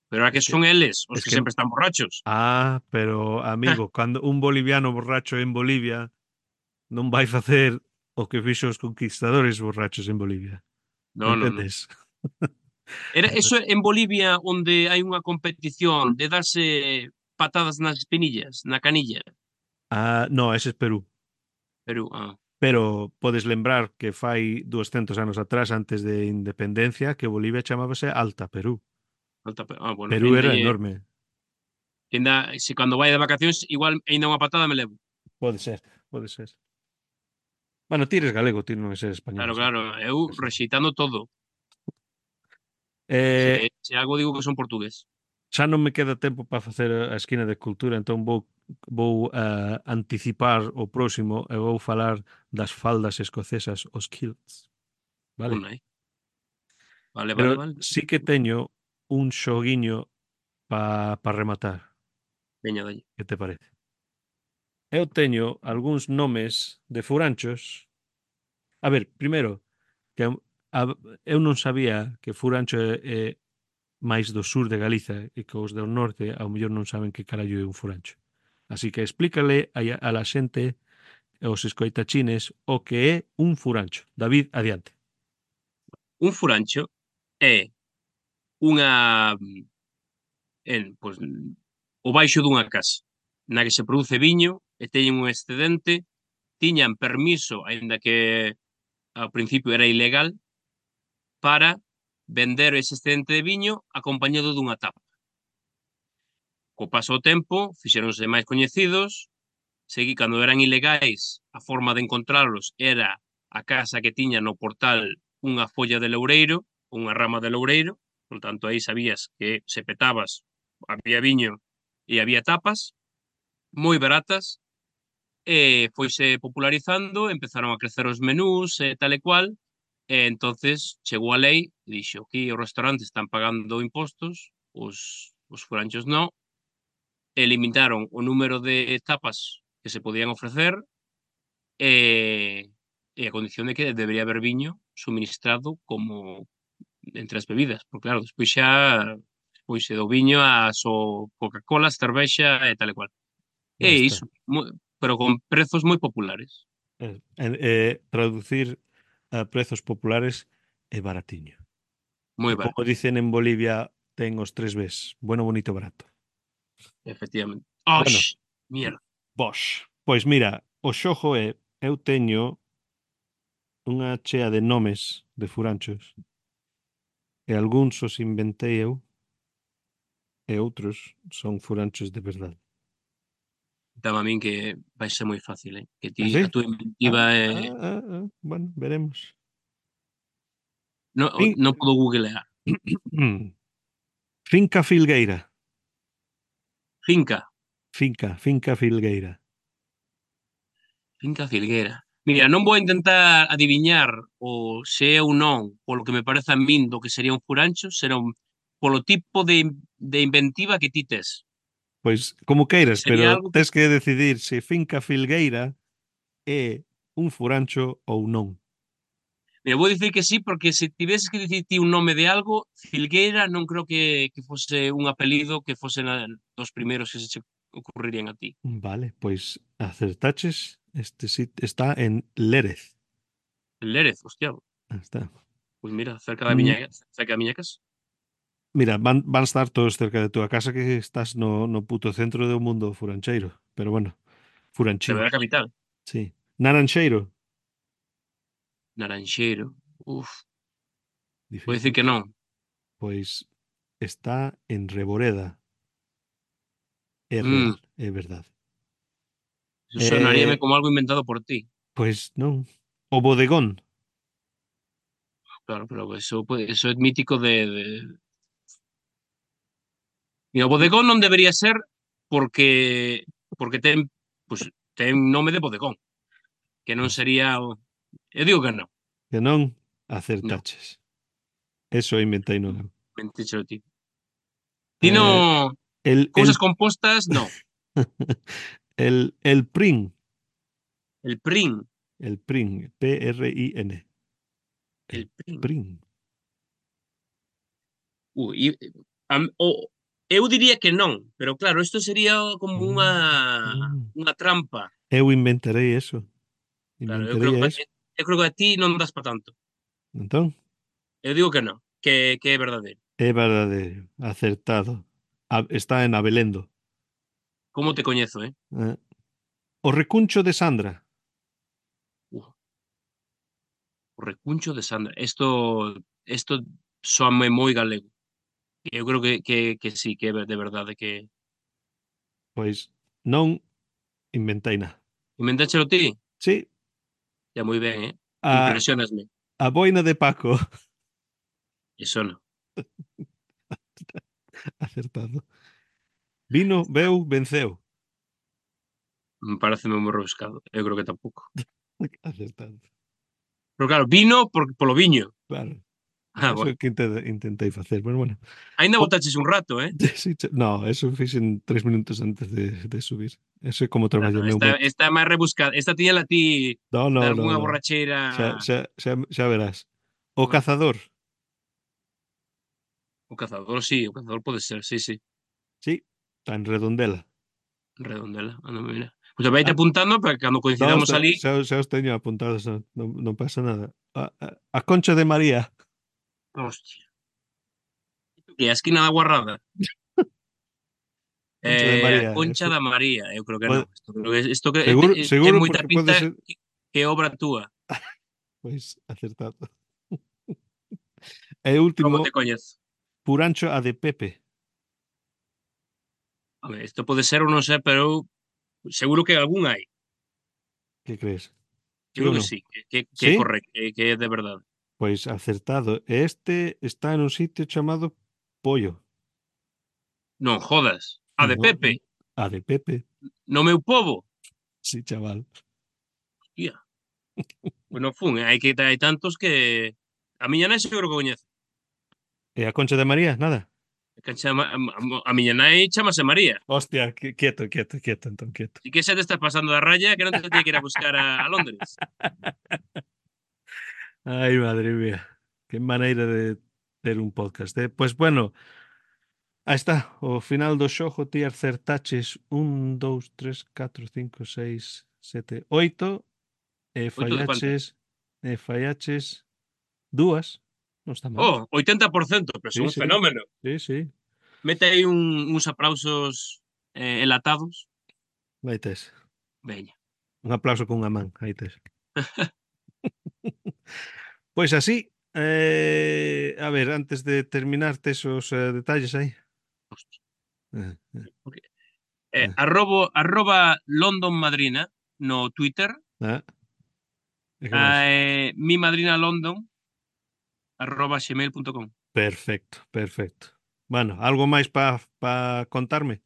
S2: pero ahora
S1: Es
S2: que
S1: que
S2: son eles os
S1: es
S2: que
S1: que
S2: sempre están borrachos.
S1: ah, pero amigo, cando un boliviano borracho en Bolivia non vai facer o que fixo os conquistadores borrachos en Bolivia.
S2: No, no, no.
S1: Entendes?
S2: Era eso en Bolivia onde hai unha competición de darse patadas nas espinillas, na canilla.
S1: Ah, no, ese es Perú.
S2: Perú, ah,
S1: Pero podes lembrar que fai doscientos anos atrás, antes de independencia, que Bolivia chamábase Alta Perú.
S2: alta, ah, bueno,
S1: Perú
S2: ainda
S1: era
S2: lle,
S1: enorme.
S2: ainda, se cando vai de vacacións, igual ainda unha patada me levo.
S1: Pode ser, pode ser. Bueno, ti eres galego, ti non é ser español,
S2: Claro,
S1: así
S2: claro,
S1: que...
S2: eu
S1: Eso.
S2: rexeitando todo.
S1: Eh,
S2: Se, se algo digo que son portugués.
S1: xa non me queda tempo para facer a esquina de cultura, entón vou vou uh, anticipar o próximo e vou falar das faldas escocesas, os kilts, vale?
S2: Una, eh. Vale, vale,
S1: Pero
S2: vale.
S1: sí que teño un xoguiño para pa rematar.
S2: Veña, dalle.
S1: Que te parece? Eu teño algúns nomes de furanchos. A ver, primeiro, que a, eu non sabía que Furancho é, é máis do sur de Galiza e que os do norte ao mellor non saben que carallo é un furancho. Así que explícale a, a la xente e os escoitachines o que é un furancho. David, adiante.
S2: Un furancho é unha en, pois, o baixo dunha casa na que se produce viño e teñen un excedente, tiñan permiso, aínda que ao principio era ilegal, para vender ese excedente de viño acompañado dunha tapa. Co paso do tempo, fixéronse máis coñecidos, segui cando eran ilegais, a forma de encontralos era a casa que tiña no portal unha folla de loureiro, unha rama de loureiro, por tanto aí sabías que se petabas, había viño e había tapas, moi baratas, e foise popularizando, empezaron a crecer os menús e tal e cual, e entonces chegou a lei e dixo: aquí os restaurantes están pagando impostos, os, os furanchos non, e limitaron o número de tapas que se podían ofrecer e, e a condición de que debería haber viño suministrado como entre as bebidas, porque claro, despois xa pois do viño a so Coca-Cola, cervexa e tal e cual.
S1: Ya
S2: E
S1: está.
S2: iso, moi, pero con prezos moi populares.
S1: Eh, eh, traducir a prezos populares é baratiño.
S2: Moi
S1: E como
S2: barato,
S1: dicen en Bolivia, ten os tres Bs, bueno, bonito, barato.
S2: efectivamente.
S1: Bueno,
S2: Ox, mierda.
S1: Bosch. Pois mira, o xogo é, eu teño unha chea de nomes de furanchos e algúns os inventei eu e outros son furanchos de verdade.
S2: Dame a min que vai ser moi fácil, eh? Que ti,
S1: Así?
S2: a túa
S1: Ah,
S2: inventiva é...
S1: ah, ah, ah, bueno, veremos.
S2: No,
S1: Fin...
S2: non podo googlear.
S1: Finca Filgueira.
S2: Finca.
S1: Finca, Finca Filgueira.
S2: Finca Filguera. Mira, non vou intentar adiviñar o se é ou non, polo que me parece a min do que sería un furancho, será un, polo tipo de, de inventiva que ti tes.
S1: Pois como queiras,
S2: Sería
S1: pero
S2: algo que...
S1: tes que decidir se Finca Filgueira é un furancho ou non.
S2: Mira, vou dicir que sí, porque se tiveses que dicir ti un nome de algo, Filgueira non creo que, que fose un apelido que fose na, dos primeiros que se che ocurrirían a ti.
S1: Vale, pois acertaches. Este sit está en Lérez.
S2: Lérez, hostia,
S1: Ah, está.
S2: pois mira, cerca da
S1: Mm,
S2: miña, cerca da miña casa.
S1: Mira, van, van estar todos cerca de túa casa que estás no, no puto centro do mundo furancheiro. Pero bueno,
S2: Pero
S1: furanchín.
S2: é a capital.
S1: Sí. Narancheiro.
S2: Naranxeiro. Uf, vou dicir
S1: Difícil.
S2: que non.
S1: Pois está en Reboreda. É
S2: Mm,
S1: real, é verdade.
S2: eso sonaríame
S1: Eh,
S2: como algo inventado por ti.
S1: pois non. O bodegón.
S2: Claro, pero eso, pues, eso é mítico de, de... Mira, o bodegón non debería ser porque porque ten, pues, ten nome de bodegón, que non
S1: Pois
S2: sería o... Eu digo que non.
S1: que non
S2: Non,
S1: acertaches. Eso inventei non eu.
S2: mentíchelo ti. Ti
S1: Eh,
S2: non...
S1: el,
S2: Cousas
S1: el,
S2: compostas, non.
S1: el, el PRIN.
S2: El prin.
S1: El PRIN. P R I N. El
S2: El prin.
S1: PRIN.
S2: Ui, e, a, o, eu diría que non, pero claro, isto sería como unha
S1: Mm, mm.
S2: unha trampa.
S1: Eu inventarei eso.
S2: Claro, eu creo
S1: Inventaría
S2: que
S1: eso.
S2: eu creo que a ti non das para tanto.
S1: Entón,
S2: Eu digo que non, que, que é verdadeiro.
S1: é verdadeiro. Acertado. A- está en Abelendo.
S2: Como te coñezo, eh?
S1: Eh, O recuncho de Sandra.
S2: Uh, o recuncho de Sandra. Isto isto soame moi galego. Eu creo que, que, que sí, que é de verdade que...
S1: Pois non inventei nada.
S2: Inventáchelo ti?
S1: Sí,
S2: Ya moi ben, eh?
S1: a,
S2: Impresionasme.
S1: a boina de Paco.
S2: Iso non.
S1: Acertado. Vino, veu, venceu.
S2: Me parece moi rebuscado. Eu creo que tampouco.
S1: Acertado.
S2: Pero claro, vino por, polo viño.
S1: Claro.
S2: Ah,
S1: Eso é
S2: bueno.
S1: que inte- intentei facer. Pero bueno.
S2: Ainda
S1: O-
S2: botaches un rato, eh?
S1: Sí, che- no, eso fixen tres minutos antes de, de subir. Eso é como
S2: No,
S1: traballo
S2: no,
S1: meu
S2: esta,
S1: mente.
S2: esta máis rebuscada. Esta tiña la ti
S1: No,
S2: de
S1: no, no,
S2: algunha
S1: no. Xa,
S2: borracheira...
S1: xa, xa, xa verás. O
S2: Bueno,
S1: cazador.
S2: o cazador, sí, o cazador pode ser, sí, sí.
S1: Sí, está en Redondela.
S2: Redondela, anda, mira. Pois pues vaite
S1: Ah,
S2: apuntando para que cando
S1: no,
S2: coincidamos
S1: xa,
S2: ali...
S1: xa, xa os teño apuntados, non, non, non pasa nada. A, a, a Concha de María.
S2: Hostia. Que a esquina da Guarrada.
S1: Concha de
S2: Eh, a
S1: María.
S2: Concha
S1: Eso
S2: da María, eu creo que
S1: pode-
S2: non. Isto, creo que, isto que eh,
S1: seguro,
S2: eh, ten
S1: seguro
S2: moita
S1: porque pode
S2: pinta
S1: ser,
S2: que, que é obra túa.
S1: pois, acertado. E
S2: Como
S1: último,
S2: te coñezo?
S1: Purancho a de Pepe.
S2: Home, isto pode ser ou non sei, pero eu seguro que algún hai.
S1: Que crees?
S2: Eu
S1: Sí ou
S2: creo que
S1: non?
S2: sí, que, que, que é
S1: Sí?
S2: correcto, que, que é de verdade.
S1: Pois acertado. Este está en un sitio chamado Pollo.
S2: Non jodas. A de
S1: No,
S2: Pepe,
S1: a de Pepe.
S2: no meu pobo.
S1: Sí, chaval.
S2: Hostia. Pois non fun, eh, hai que hai tantos que a miña nai seguro que coñece.
S1: E a Concha de María? Nada.
S2: Que chama, a, a, a miña nai chamase María.
S1: Hostia, qui- quieto, quieto, quieto, entón, quieto.
S2: Si que xa te estás pasando da raya que non te tiene que ir a buscar a, a Londres.
S1: Ai, madre mía. Que maneira de ter un podcast, eh? Pois bueno, aí está. O final do xogo ti acertaches un, dous, tres, catro, cinco, seis, sete, oito e
S2: Oito de cuántas?
S1: fallaches e fallaches dúas. Non está mal.
S2: Oh, oitenta por ciento, pero son
S1: Sí,
S2: un
S1: sí.
S2: fenómeno.
S1: Sí, sí.
S2: Mete aí un, uns aplausos eh, enlatados.
S1: Aí tes.
S2: Veña.
S1: Un aplauso con unha man. Aí tes. Pois así, eh, a ver, antes de terminar, tes os eh, detalles aí.
S2: Hostia.
S1: Eh, eh,
S2: Eh,
S1: eh,
S2: arrobo, arroba London Madrina no Twitter.
S1: eh. E que máis?
S2: Eh, mi madrina London arroba gmail punto com.
S1: Perfecto, perfecto. Bueno, algo máis para pa contarme?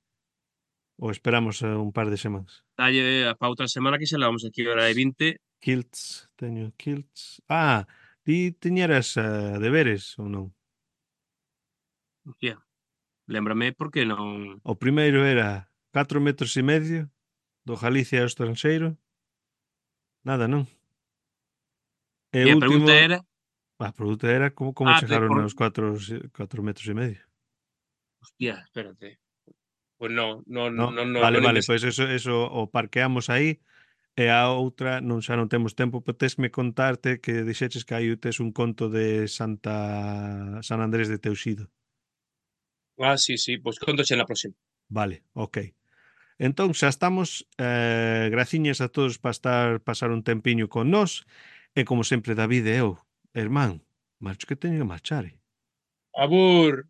S1: Ou esperamos eh, un par de semanas?
S2: Dalle para outra semana que se la vamos aquí a hora de vinte.
S1: Kilts, teño kilts. Ah, ti teñeras uh, deberes ou non?
S2: Hostia, lémbrame porque non...
S1: O primeiro era catro metros e medio do Galicia ao estranxeiro. Nada, non? E
S2: E
S1: o
S2: a
S1: último,
S2: pregunta era...
S1: a pregunta era como, como
S2: Ah, de
S1: chegaron
S2: por...
S1: aos cuatro metros e medio.
S2: Hostia, espérate. Pues no, no,
S1: No?
S2: no, no,
S1: Vale,
S2: non
S1: vale,
S2: investiguei.
S1: pois eso, eso o parqueamos aí. E a outra, non xa non temos tempo, pero tesme contarte que dixeches que aí tes un conto de Santa San Andrés de Teuxido.
S2: Ah, sí, sí, pues contoche na próxima.
S1: Vale, ok. Entón, xa estamos. Eh, graciñas a todos para estar pasar un tempiño con nós. E como sempre, David e eu, hermán, marcho que teño que marchar. Eh?
S2: Abur!